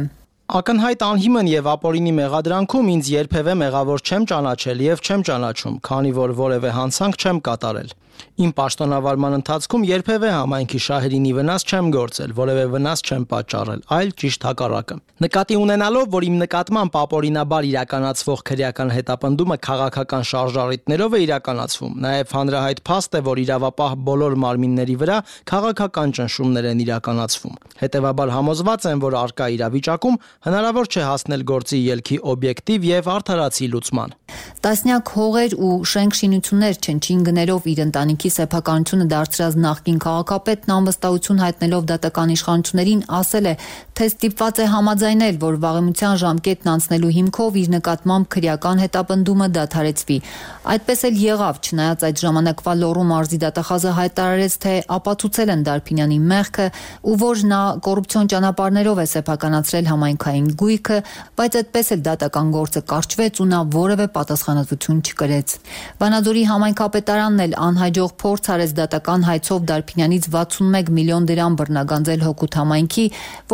Ակնհայտ անհիմն եւ ապօրինի մեղադրանքում ինձ երբևէ մեղավոր չեմ ճանաչել եւ չեմ ճանաչում, քանի որ որևէ հանցանք չեմ կատարել։ Իմ պաշտոնավարման ընթացքում երբևէ համայնքի շահերին վնաս չեմ գործել, որևէ վնաս չեմ պատճառել, այլ ճիշտ հակառակը։ Նկատի ունենալով, որ իմ նկատմամբ ապօրինաբար իրականացվող քրեական հետապնդումը քաղաքական շարժառիթներով է իրականացվում, նաև հանրահայտ փաստ է, որ իրավապահ բոլոր մարմինների վրա քաղաքական ճնշումներ են իրականացվում։ Հետևաբար համոզված եմ, որ արկա իրավիճակում հնարավոր չէ հասնել գործի ելքի օբյեկտիվ եւ արդարացի լուծման։ Տասնյակ հողեր ու շենք շինություններ չնչին գներով իր ընտանիքի սեփականությունը դարձրած նախկին քաղաքապետն անվստահություն հայտնելով դատական իշխանություններին ասել է, թե ստիպված է համաձայնել, որ վաղեմության ժամկետն անցնելու հիմքով իր նկատմամբ քրեական հետապնդումը դադարեցվի։ Այդպես էլ եղավ, չնայած այդ ժամանակվա Լոռու մարզի դատախազը հայտարարեց, թե ապացուցել են Դարփինյանի մեղքը ու որ նա կոռուպցիոն ճանապարհներով է սեփականացրել համայնքային գույքը, բայց այդպես էլ դատական գործը կարճվեց ու նա որևէ պատասխանատվություն չկրեց։ Վանաձորի համայնքապետարանն էլ անհաջող փորձ արեց դատական հայցով Դարփինյանից 61 միլիոն դրամ բռնագանձել Հոկուտ համայնքի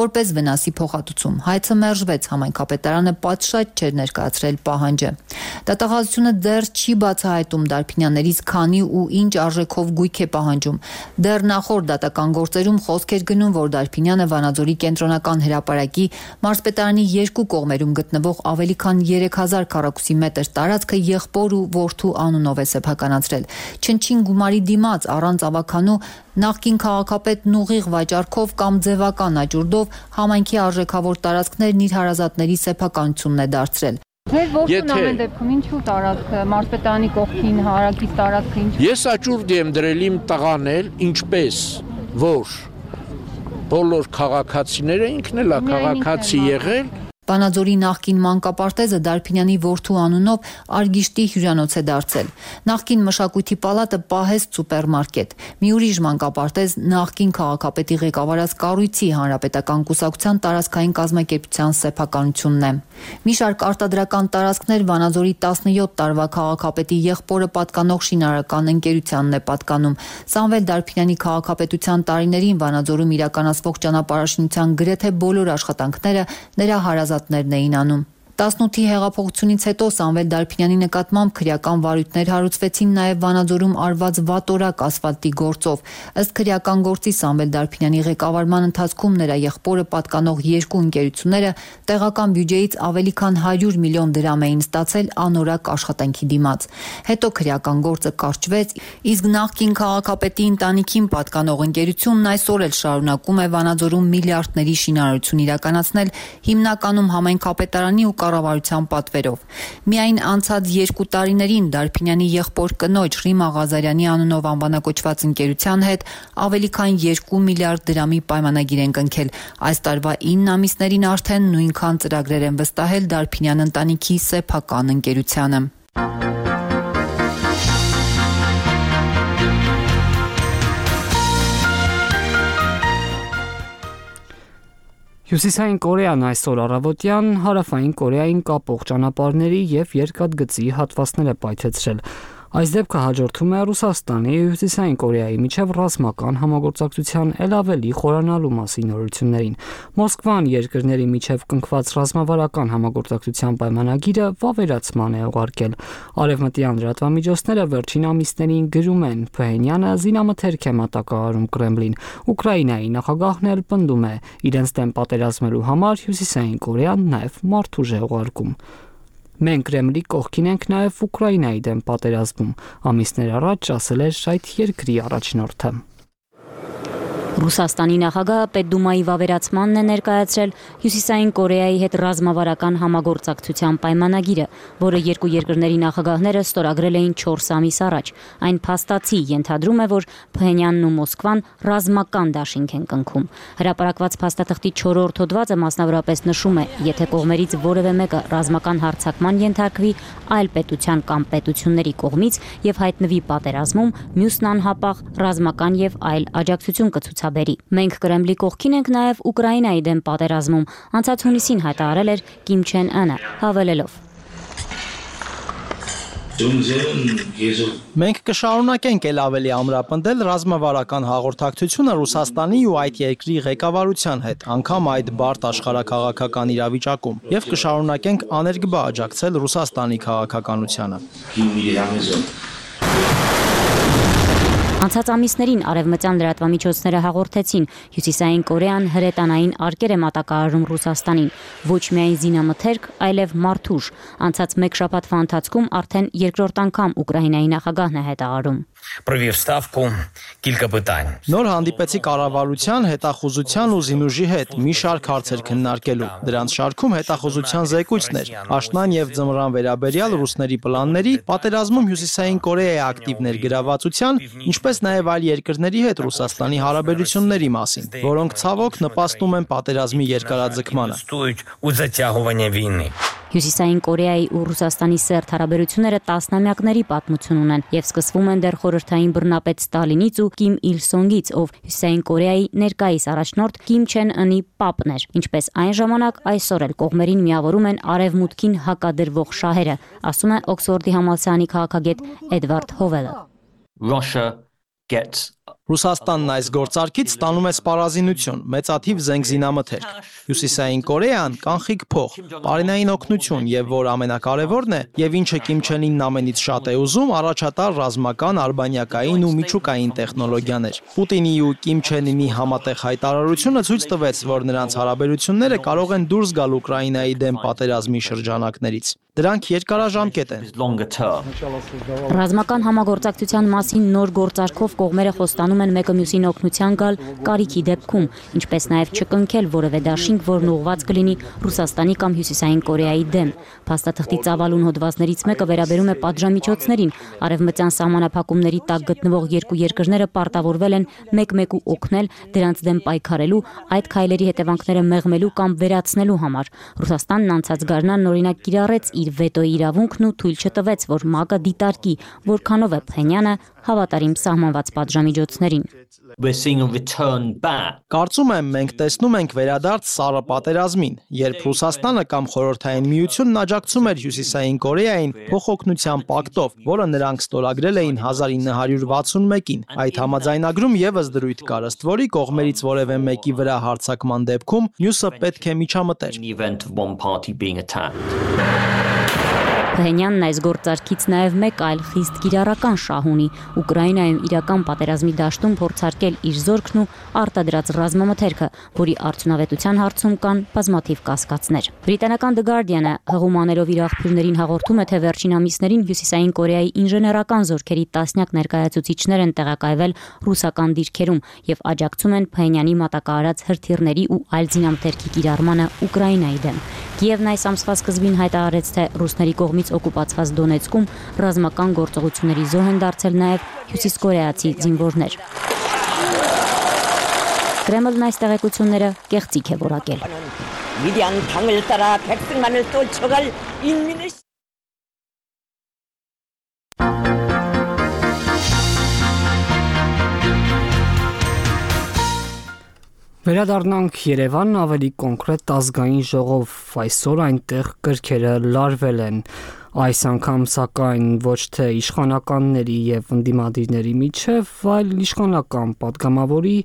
որպես վնասի փոխհատուցում։ Հայցը մերժվեց, համայնքապետարանը պատշաճ չէր ներկայացրել պահանջը։ Դատախազությունը դեռ չի բացահայտում Դարփինյաններից քանի ու ինչ արժեքով գույք է պահանջում։ Դեռ նախորդ դատական գործերում խոսք էր գնում, որ Դարփինյանը Վանաձորի կենտրոնական հրապարակի մարզպետարանի երկու կողմերում գտնվող ավելի քան 3000 քառակուսի մետր տարածքը եղբոր ու որդու անունով է սեփականացրել։ Չնչին գումարի դիմաց առանց ավականու նախկին քաղաքապետն ուղիղ վաճառքով կամ ձևական աճուրդով համայնքի արժեքավոր տարածքներն իր հարազատների սեփականությունն է դարձրել։ Ձեր որդուն ամեն դեպքում ինչու տարածքը մարզպետարանի կողքին հարակից տարածքը ինչու։ Ես աճուրդ եմ դրել իմ տղանել, ինչպես որ բոլոր քաղաքացիները ինքն էլ է քաղաքացի եղել։ Վանաձորի նախկին մանկապարտեզը Դարփինյանի որդու անունով Արգիշտի հյուրանոց է դարձել։ Նախկին մշակույթի պալատը պահեստ սուպերմարկետ։ Մի ուրիշ մանկապարտեզ նախկին քաղաքապետի ղեկավարած կառույցի հանրապետական կուսակցության տարածքային կազմակերպության սեփականությունն է։ Մի շարք արտադրական տարածքներ Վանաձորի 17 տարվա քաղաքապետի եղբորը պատկանող շինարարական ընկերությանն է պատկանում։ Սամվել Դարփինյանի քաղաքապետության տարիներին Վանաձորում իրականացվող ճանապարհաշինության գրեթե բոլոր աշխատանքները նրա հարազատներն էին անում։ 18-ի հեղափոխությունից հետո Սամվել Դարփինյանի նկատմամբ քրեական վարույթներ հարուցվեցին նաև Վանաձորում արված վատորակ ասֆալտի գործով։ Ըստ քրեական գործի Սամվել Դարփինյանի ղեկավարման ընթացքում նրա եղբորը պատկանող երկու ընկերությունները տեղական բյուջեից ավելի քան 100 միլիոն դրամ էին ստացել անորակ աշխատանքի դիմաց։ Հետո քրեական գործը կարճվեց, իսկ նախկին քաղաքապետի ընտանիքին պատկանող ընկերությունն այսօր էլ շարունակում է Վանաձորում միլիարդների շինարարություն իրականացնել, հիմնականում համայնքապետարանի ու կառավարության պատվերով։ Միայն անցած 2 տարիներին Դարփինյանի եղբոր կնոջ Ռիմա Ղազարյանի անունով անվանակոչված ընկերության հետ ավելի քան 2 միլիարդ դրամի պայմանագիր են կնքել։ Այս տարվա 9 ամիսներին արդեն նույնքան ծրագրեր են վստահել Դարփինյան ընտանիքի սեփական ընկերությանը։ Հյուսիսային Կորեան այսօր առավոտյան հարավային Կորեային կապող ճանապարհների եւ երկաթգծի հատվածները պայթեցրել։ Այս դեպքը հաջորդում է Ռուսաստանի եւ Հյուսիսային Կորեայի միջև ռազմական համագործակցության ել ավելի խորանալու մասին նորություններին։ Մոսկվան երկրների միջև կնքված ռազմավարական համագործակցության պայմանագիրը վավերացման է ուղարկել։ Արևմտյան լրատվամիջոցները վերջին ամիսներին գրում են, Փհենյանը զինամթերք է մատակարարում Կրեմլին։ Ուկրաինայի նախագահն էլ պնդում է, իրենց դեմ պատերազմելու համար Հյուսիսային Կորեան նաեւ մարդուժ է ուղարկում։ Մենք Կրեմլի կողքին ենք նաև Ուկրաինայի դեմ պատերազմում, ամիսներ առաջ ասել էր այդ երկրի առաջնորդը։ Ռուսաստանի նախագահը Պետդումայի վավերացմանն է ներկայացրել Հյուսիսային Կորեայի հետ ռազմավարական համագործակցության պայմանագիրը, որը երկու երկրների նախագահները ստորագրել էին 4 ամիս առաջ։ Այն փաստացի ենթադրում է, որ Փհենյանն ու Մոսկվան ռազմական դաշինք են կնքում։ Հրապարակված փաստաթղթի 4-րդ հոդվածը մասնավորապես նշում է, եթե կողմերից որևէ մեկը ռազմական հարձակման ենթարկվի այլ պետության կամ պետությունների կողմից եւ հայտնվի պատերազմում, մյուսն անհապաղ ռազմական եւ այլ աջակցություն կցուցաբերի։ Մենք Կրեմլի կողքին ենք նաև Ուկրաինայի դեմ պատերազմում, անցած հունիսին հայտարարել էր Կիմ Չեն Ընը, հավելելով. Մենք կշարունակենք ել ավելի ամրապնդել ռազմավարական հաղորդակցությունը Ռուսաստանի ու այդ երկրի ղեկավարության հետ, անգամ այդ բարդ աշխարհաքաղաքական իրավիճակում, եւ կշարունակենք աներկբա աջակցել Ռուսաստանի քաղաքականությանը։ Անցած ամիսներին արևմտյան լրատվամիջոցները հաղորդեցին, Հյուսիսային Կորեան հրետանային արկեր է մատակարարում Ռուսաստանին, ոչ միայն զինամթերք, այլև մարդուժ։ Անցած 1 շաբաթվա ընթացքում արդեն երկրորդ անգամ Ուկրաինայի նախագահն է հայտարարում. Նոր հանդիպեցի կառավարության, հետախուզության ու զինուժի հետ մի շարք հարցեր քննարկելու։ Դրանց շարքում հետախուզության զեկույցներ, աշնան եւ ձմռան վերաբերյալ ռուսների պլանների, պատերազմում Հյուսիսային Կորեայի ակտիվ ներգրավվածության, ինչպես նաև այլ երկրների հետ Ռուսաստանի հարաբերությունների մասին, որոնք ցավոք նպաստում են պատերազմի երկարաձգմանը։ Հյուսիսային Կորեայի ու Ռուսաստանի սերտ հարաբերությունները տասնամյակների պատմություն ունեն եւ սկսվում են դեռ խորհրդային բռնապետ Ստալինից ու Կիմ Իլ Սոնգից, ով Հյուսիսային Կորեայի ներկայիս առաջնորդ Կիմ Չեն Ընի պապն էր, ինչպես այն ժամանակ այսօր էլ կողմերին միավորում են արևմուտքին հակադրվող շահերը, ասում է Օքսֆորդի համալսարանի քաղաքագետ Էդվարդ Հովելը։ Ռուսաստանն այս գործարքից ստանում է սպառազինություն, մեծաթիվ զենք զինամթերք։ Հյուսիսային Կորեան կանխիկ փող, պարենային օգնություն եւ որ ամենակարևորն է, եւ ինչը Կիմ Չեն Ինն ամենից շատ է ուզում, առաջատար ռազմական, արբանյակային ու միջուկային տեխնոլոգիաներ։ Պուտինի ու Կիմ Չեն Ինի համատեղ հայտարարությունը ցույց տվեց, որ նրանց հարաբերությունները կարող են դուրս գալ Ուկրաինայի դեմ պատերազմի շրջանակներից։ Դրանք երկարաժամկետ են։ Ռազմական համագործակցության մասին նոր գործարքով կողմերը խոստանում են մեկը մյուսին օգնության գալ կարիքի դեպքում, ինչպես նաև չկնքել որևէ դաշինք, որն ուղղված կլինի Ռուսաստանի կամ Հյուսիսային Կորեայի դեմ։ Փաստաթղթի ծավալուն հոդվածներից մեկը վերաբերում է պատժամիջոցներին։ Արևմտյան սահմանափակումների տակ գտնվող երկու երկրները պարտավորվել են մեկ-մեկու օգնել դրանց դեմ պայքարելու, այդ քայլերի հետևանքները մեղմելու կամ վերացնելու համար։ Ռուսաստանն անցած գարնան օրինակ կիրառեց իր վետոյի իրավունքն ու թույլ չտվեց, որ ՄԱԿ-ը դիտարկի, որքանով է Փհենյանը հավատարիմ սահմանված պատժամիջոցներին։ Կարծում եմ, մենք տեսնում ենք վերադարձ սառը պատերազմին, երբ Ռուսաստանը կամ Խորհրդային Միությունն աջակցում էր Հյուսիսային Կորեային փոխօգնության պակտով, որը նրանք ստորագրել էին 1961-ին։ Այդ համաձայնագրում եւս դրույթ կար, ըստ որի կողմերից որևէ մեկի վրա հարձակման դեպքում մյուսը պետք է միջամտեր։ Փահենյանն այս գործարքից նաև մեկ այլ խիստ կիրառական շահ ունի՝ Ուկրաինայում իրական պատերազմի դաշտում փորձարկել իր զորքն ու արտադրած ռազմամթերքը, որի արդյունավետության հարցում կան բազմաթիվ կասկածներ։ Բրիտանական The Guardian-ը հղում անելով իր աղբյուրներին հաղորդում է, թե վերջին ամիսներին Հյուսիսային Կորեայի ինժեներական զորքերի տասնյակ ներկայացուցիչներ են տեղակայվել ռուսական դիրքերում եւ աջակցում են Փահենյանի մատակարարած հրթիռների ու այլ զինամթերքի կիրառմանը Ուկրաինայի դեմ։ Կիևն այս ամսվա սկզբին հայտարարեց, թե ռուսների կողմից օկուպացված Դոնեցկում ռազմական գործողությունների զոհ են դարձել նաև հյուսիսկորեացի զինվորներ։ Կրեմլն այս տեղեկությունները կեղծիք է որակել։ Վերադառնանք Երևան, ավելի կոնկրետ ազգային ժողով, այսօր այնտեղ կրքերը լարվել են։ Այս անգամ սակայն ոչ թե իշխանականների եւ ընդդիմադիրների միջև, այլ իշխանական падգամավորի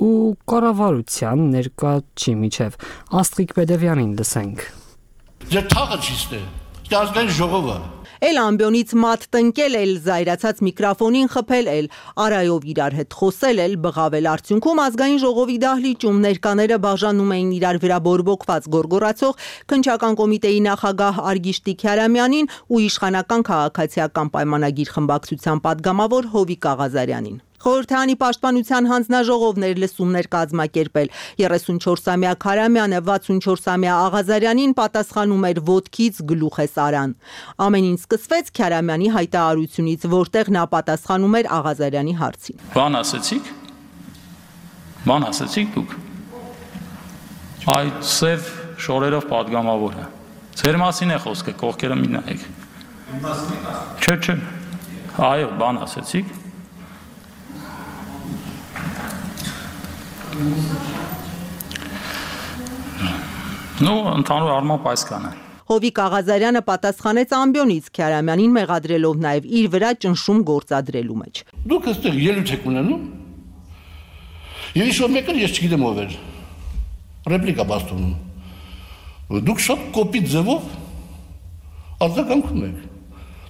ու կառավարության ներկայացի միջև։ Աստղիկ Բեդևյանին լսենք։ Ձեր թաղը ճիշտ է, ազգային ժողովը Էլ ամբյոնից մատ տնկել, էլ զայրացած միկրոֆոնին խփել, էլ արայով իրար հետ խոսել, էլ բղավել արդյունքում ազգային ժողովի դահլիճում ներկաները բաժանում էին իրար վրա բորբոքված գորգորացող քննչական կոմիտեի նախագահ Արգիշտի Քյարամյանին ու իշխանական քաղաքացիական պայմանագիր խմբակցության падգամավոր Հովիկ Աղազարյանին։ Խորհրդանի պաշտպանության հանձնաժողովներ լսումներ կազմակերպել 34-ամյա Քարամյանը 64-ամյա Աղազարյանին պատասխանում էր ոտքից գլուխ է սարան։ Ամեն ինչ սկսվեց Քարամյանի հայտարարությունից, որտեղ նա պատասխանում էր Աղազարյանի հարցին։ Բան ասեցիք։ Բան ասեցիք դուք։ Այդ սև շորերով падգամավորը։ Ձեր մասին է խոսքը, կողքերը մի նայեք։ Չէ։ Այո, բան ասեցիք։ Ну, ընդհանուր առմամբ այս կան է։ Հովիկ Աղազարյանը պատասխանեց ամբյոնից Քյարամյանին մեղադրելով նաև իր վրա ճնշում գործադրելու մեջ։ Դուք այստեղ ելույթ եք ունենում։ Եվ ինչ-որ մեկը ես չգիտեմ ով էր։ Ռեպլիկա բաստունում։ Դուք շատ կոպիտ ձևով արձագանքում եք։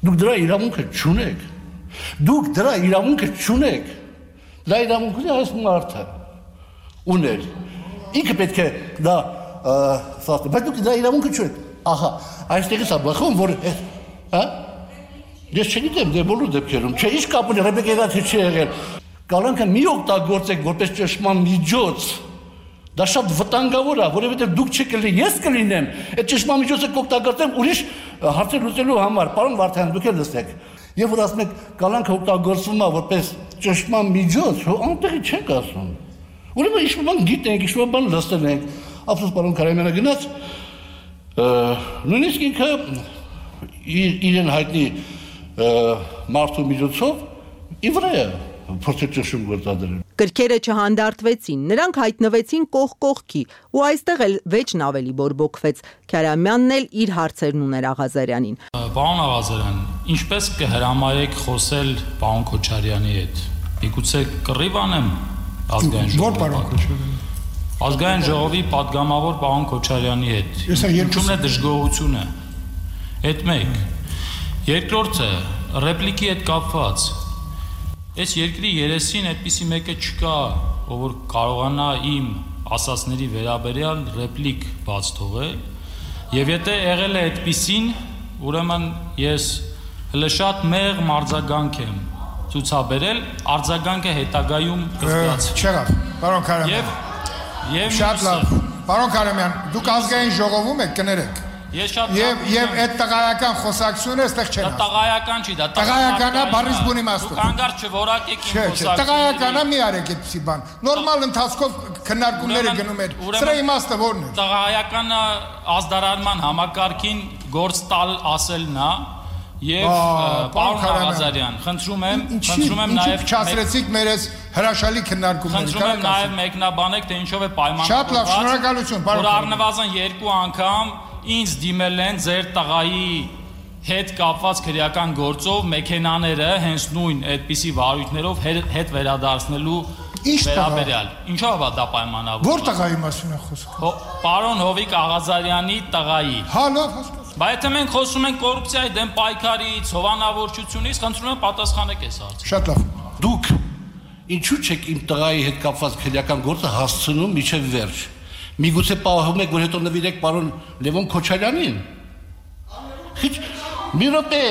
Դուք դրա իրավունքը չունեք։ Դա իրավունքը այս մարդը ուներ։ Ինքը պետք է դա սաստը, բայց դուք դա իրավունքը չունեք։ Ահա, այստեղից է բխում, որ հա? Ես չգիտեմ, դե բոլոր դեպքերում, չէ, ինչ կապ ունի, Ռեբեկա թե չի եղել։ Կալանքը մի օգտագործեք որպես ճշմարտ միջոց։ Դա շատ վտանգավոր է, որովհետև դուք չկլինեք, ես կլինեմ, այդ ճշմարտ միջոցը կօգտագործեմ ուրիշ հարցեր լուծելու համար։ Պարոն Վարդան, դուք էլ լսեք։ Եվ որ ասում եք, կալանքը օգտագործվում է որպես ճշմարտ միջոց, անտեղի չեք ասում։ Ուրեմն ինչ-որ բան գիտենք, ինչ-որ բան լսել ենք։ Ափսոս պարոն Քարամյանը գնաց, նույնիսկ ինքը իրեն հայտնի մարդու միջոցով ի վրա փորձեց ճնշում գործադրել։ Կրքերը չհանդարտվեցին, նրանք հայտնվեցին կողք կողքի, ու այստեղ էլ վեճն ավելի բորբոքվեց։ Քյարամյանն էլ իր հարցերն ուներ Աղազարյանին։ Պարոն Աղազարյան, ինչպես կհրամայեք խոսել պարոն Քոչարյանի հետ։ Միգուցե կռիվ անեմ ազգային ժողովի։ Որ պարոն Քոչարյանի։ Ազգային ժողովի падգամավոր պարոն Քոչարյանի հետ։ Ինչու՞մն է դժգոհությունը։ Այդ մեկ։ Երկրորդը ռեպլիկի հետ կապված։ Այս երկրի երեսին այդպիսի մեկը չկա, ով որ կարողանա իմ ասածների վերաբերյալ ռեպլիկ բաց թողել, եւ եթե եղել է այդպիսին, ուրեմն ես հələ շատ մեղմ արձագանք եմ ցուցաբերել, արձագանքը հետագայում կզգաց։ Չեղավ, պարոն Քարամյան։ Եվ շատ լավ, պարոն Քարամյան, դուք ազգային ժողովում եք, կներեք։ Եվ այդ տղայական խոսակցությունը այստեղ չեն ասում։ Տղայական չի, դա տղայականա բառից բուն իմաստով։ Դուք հանգարց չորակեք իմ խոսակցությունը։ Տղայականա մի արեք այդպիսի բան։ Նորմալ ընթացքով քննարկումները գնում էր։ Սրա իմաստը ո՞րն է։ Տղայականը ազդարանման համակարգին գործ տալ ասելն է։ Եվ պարոն Աղազարյան, խնդրում եմ նաև չասրեցիք մեր այս հրաշալի քննարկումները։ Խնդրում եմ նաև մեկնաբանեք, թե ինչով է պայմանավորված։ Շատ լավ, շնորհակալություն, պարոն։ Որ առնվազն 2 անգամ ինձ դիմել են ձեր տղայի հետ կապված քրեական գործով մեքենաները հենց նույն այդպիսի վարույթներով հետ վերադարձնելու վերաբերյալ։ Ինչով է դա պայմանավորված։ Որ տղայի մասին է խոսքը։ Պարոն Հովիկ Աղազարյանի տղայի։ Հա, լավ, հասկացա։ Բայց եթե մենք խոսում ենք կոռուպցիայի դեմ պայքարից, հովանավորչությունից, խնդրում եմ պատասխանեք այս հարցին։ Շատ լավ։ Դուք ինչու՞ չեք իմ տղայի հետ կապված քրեական գործը հասցնում միջև վերջ։ Միգուցե պահում եք, որ հետո նվիրեք պարոն Լևոն Քոչարյանին։ Մի րոպե։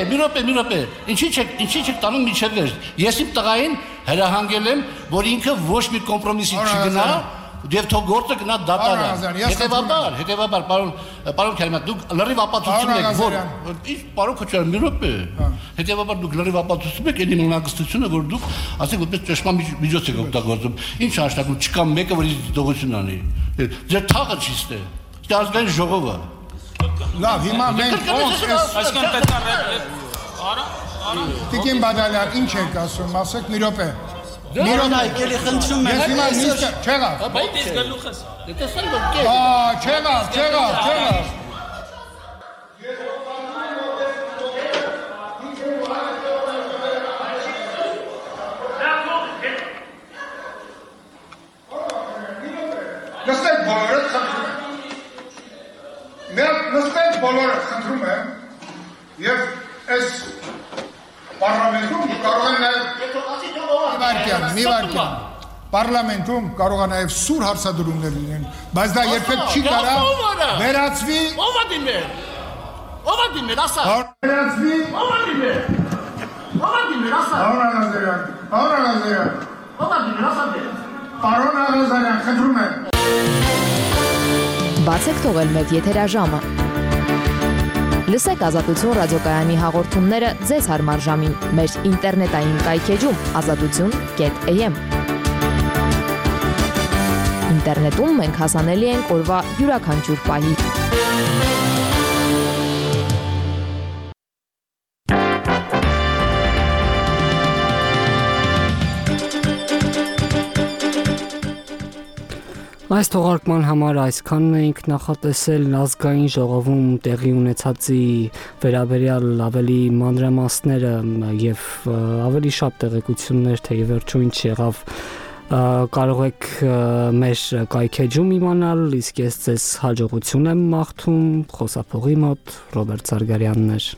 Ինչի՞ չեք տանում միջև վերջ։ Ես իմ տղային հրահանգել եմ, որ ինքը ոչ մի կոմպրոմիսի չգնա, եւ թող գործը գնա դատարան։ Հետեւաբար, պարոն Քերիման, դուք լրիվ ապացուցում եք, որ ինչ պարոն Քոչարյան, մի րոպե։ Հետեւաբար դուք լրիվ ապացուցում եք այնի մնագստությունը, որ դուք ասեք որպես ճշմարիտ միջոց եք օգտագործում։ Ինչ անշտակում չկա մեկը, որ ինձ դողություն անի։ Ձեր թաղը ճիշտ է։ Դա ազգային ժողովը։ Լավ, հիմա մենք այսքան պետք է արա Տիկին Բադալյան, ինչ եք ասում, ասեք մի րոպե։ Մի րոպե, եկելի խնդրում եմ։ Ես հիմա նիստը չեղավ։ Բայց ես գլուխ ես արա։ Տեսա՞ր որ կե։ Չեղավ։ Նստեք բոլորը խնդրում եմ եւ այս պարլամենտում կարող են նաեւ մի վարքյան պարլամենտում կարող է նաեւ սուր հարցադրումներ լինեն, բայց դա երբեք չի կարա վերածվի Ո՞վ է դիմել, ասա։ Վերածվի ասա։ Պարոն Աղազարյան, խնդրում եմ։ Բացեք թողել մեր եթերաժամը։ Լսեք Ազատություն ռադիոկայանի հաղորդումները ձեզ հարմար ժամին մեր ինտերնետային կայքեջում azatutun.am։ Ինտերնետում մենք հասանելի ենք օրվա յուրաքանչյուր պահի։ Այս թողարկման համար այսքանն էինք նախատեսել ազգային ժողովում տեղի ունեցածի վերաբերյալ ավելի մանրամասները եւ ավելի շատ տեղեկություններ թե վերջում ինչ եղավ կարող եք մեր կայքեջում իմանալ, իսկ ես ձեզ հաջողություն եմ մաղթում, խոսափողի մոտ Ռոբերտ Զարգարյանն էր։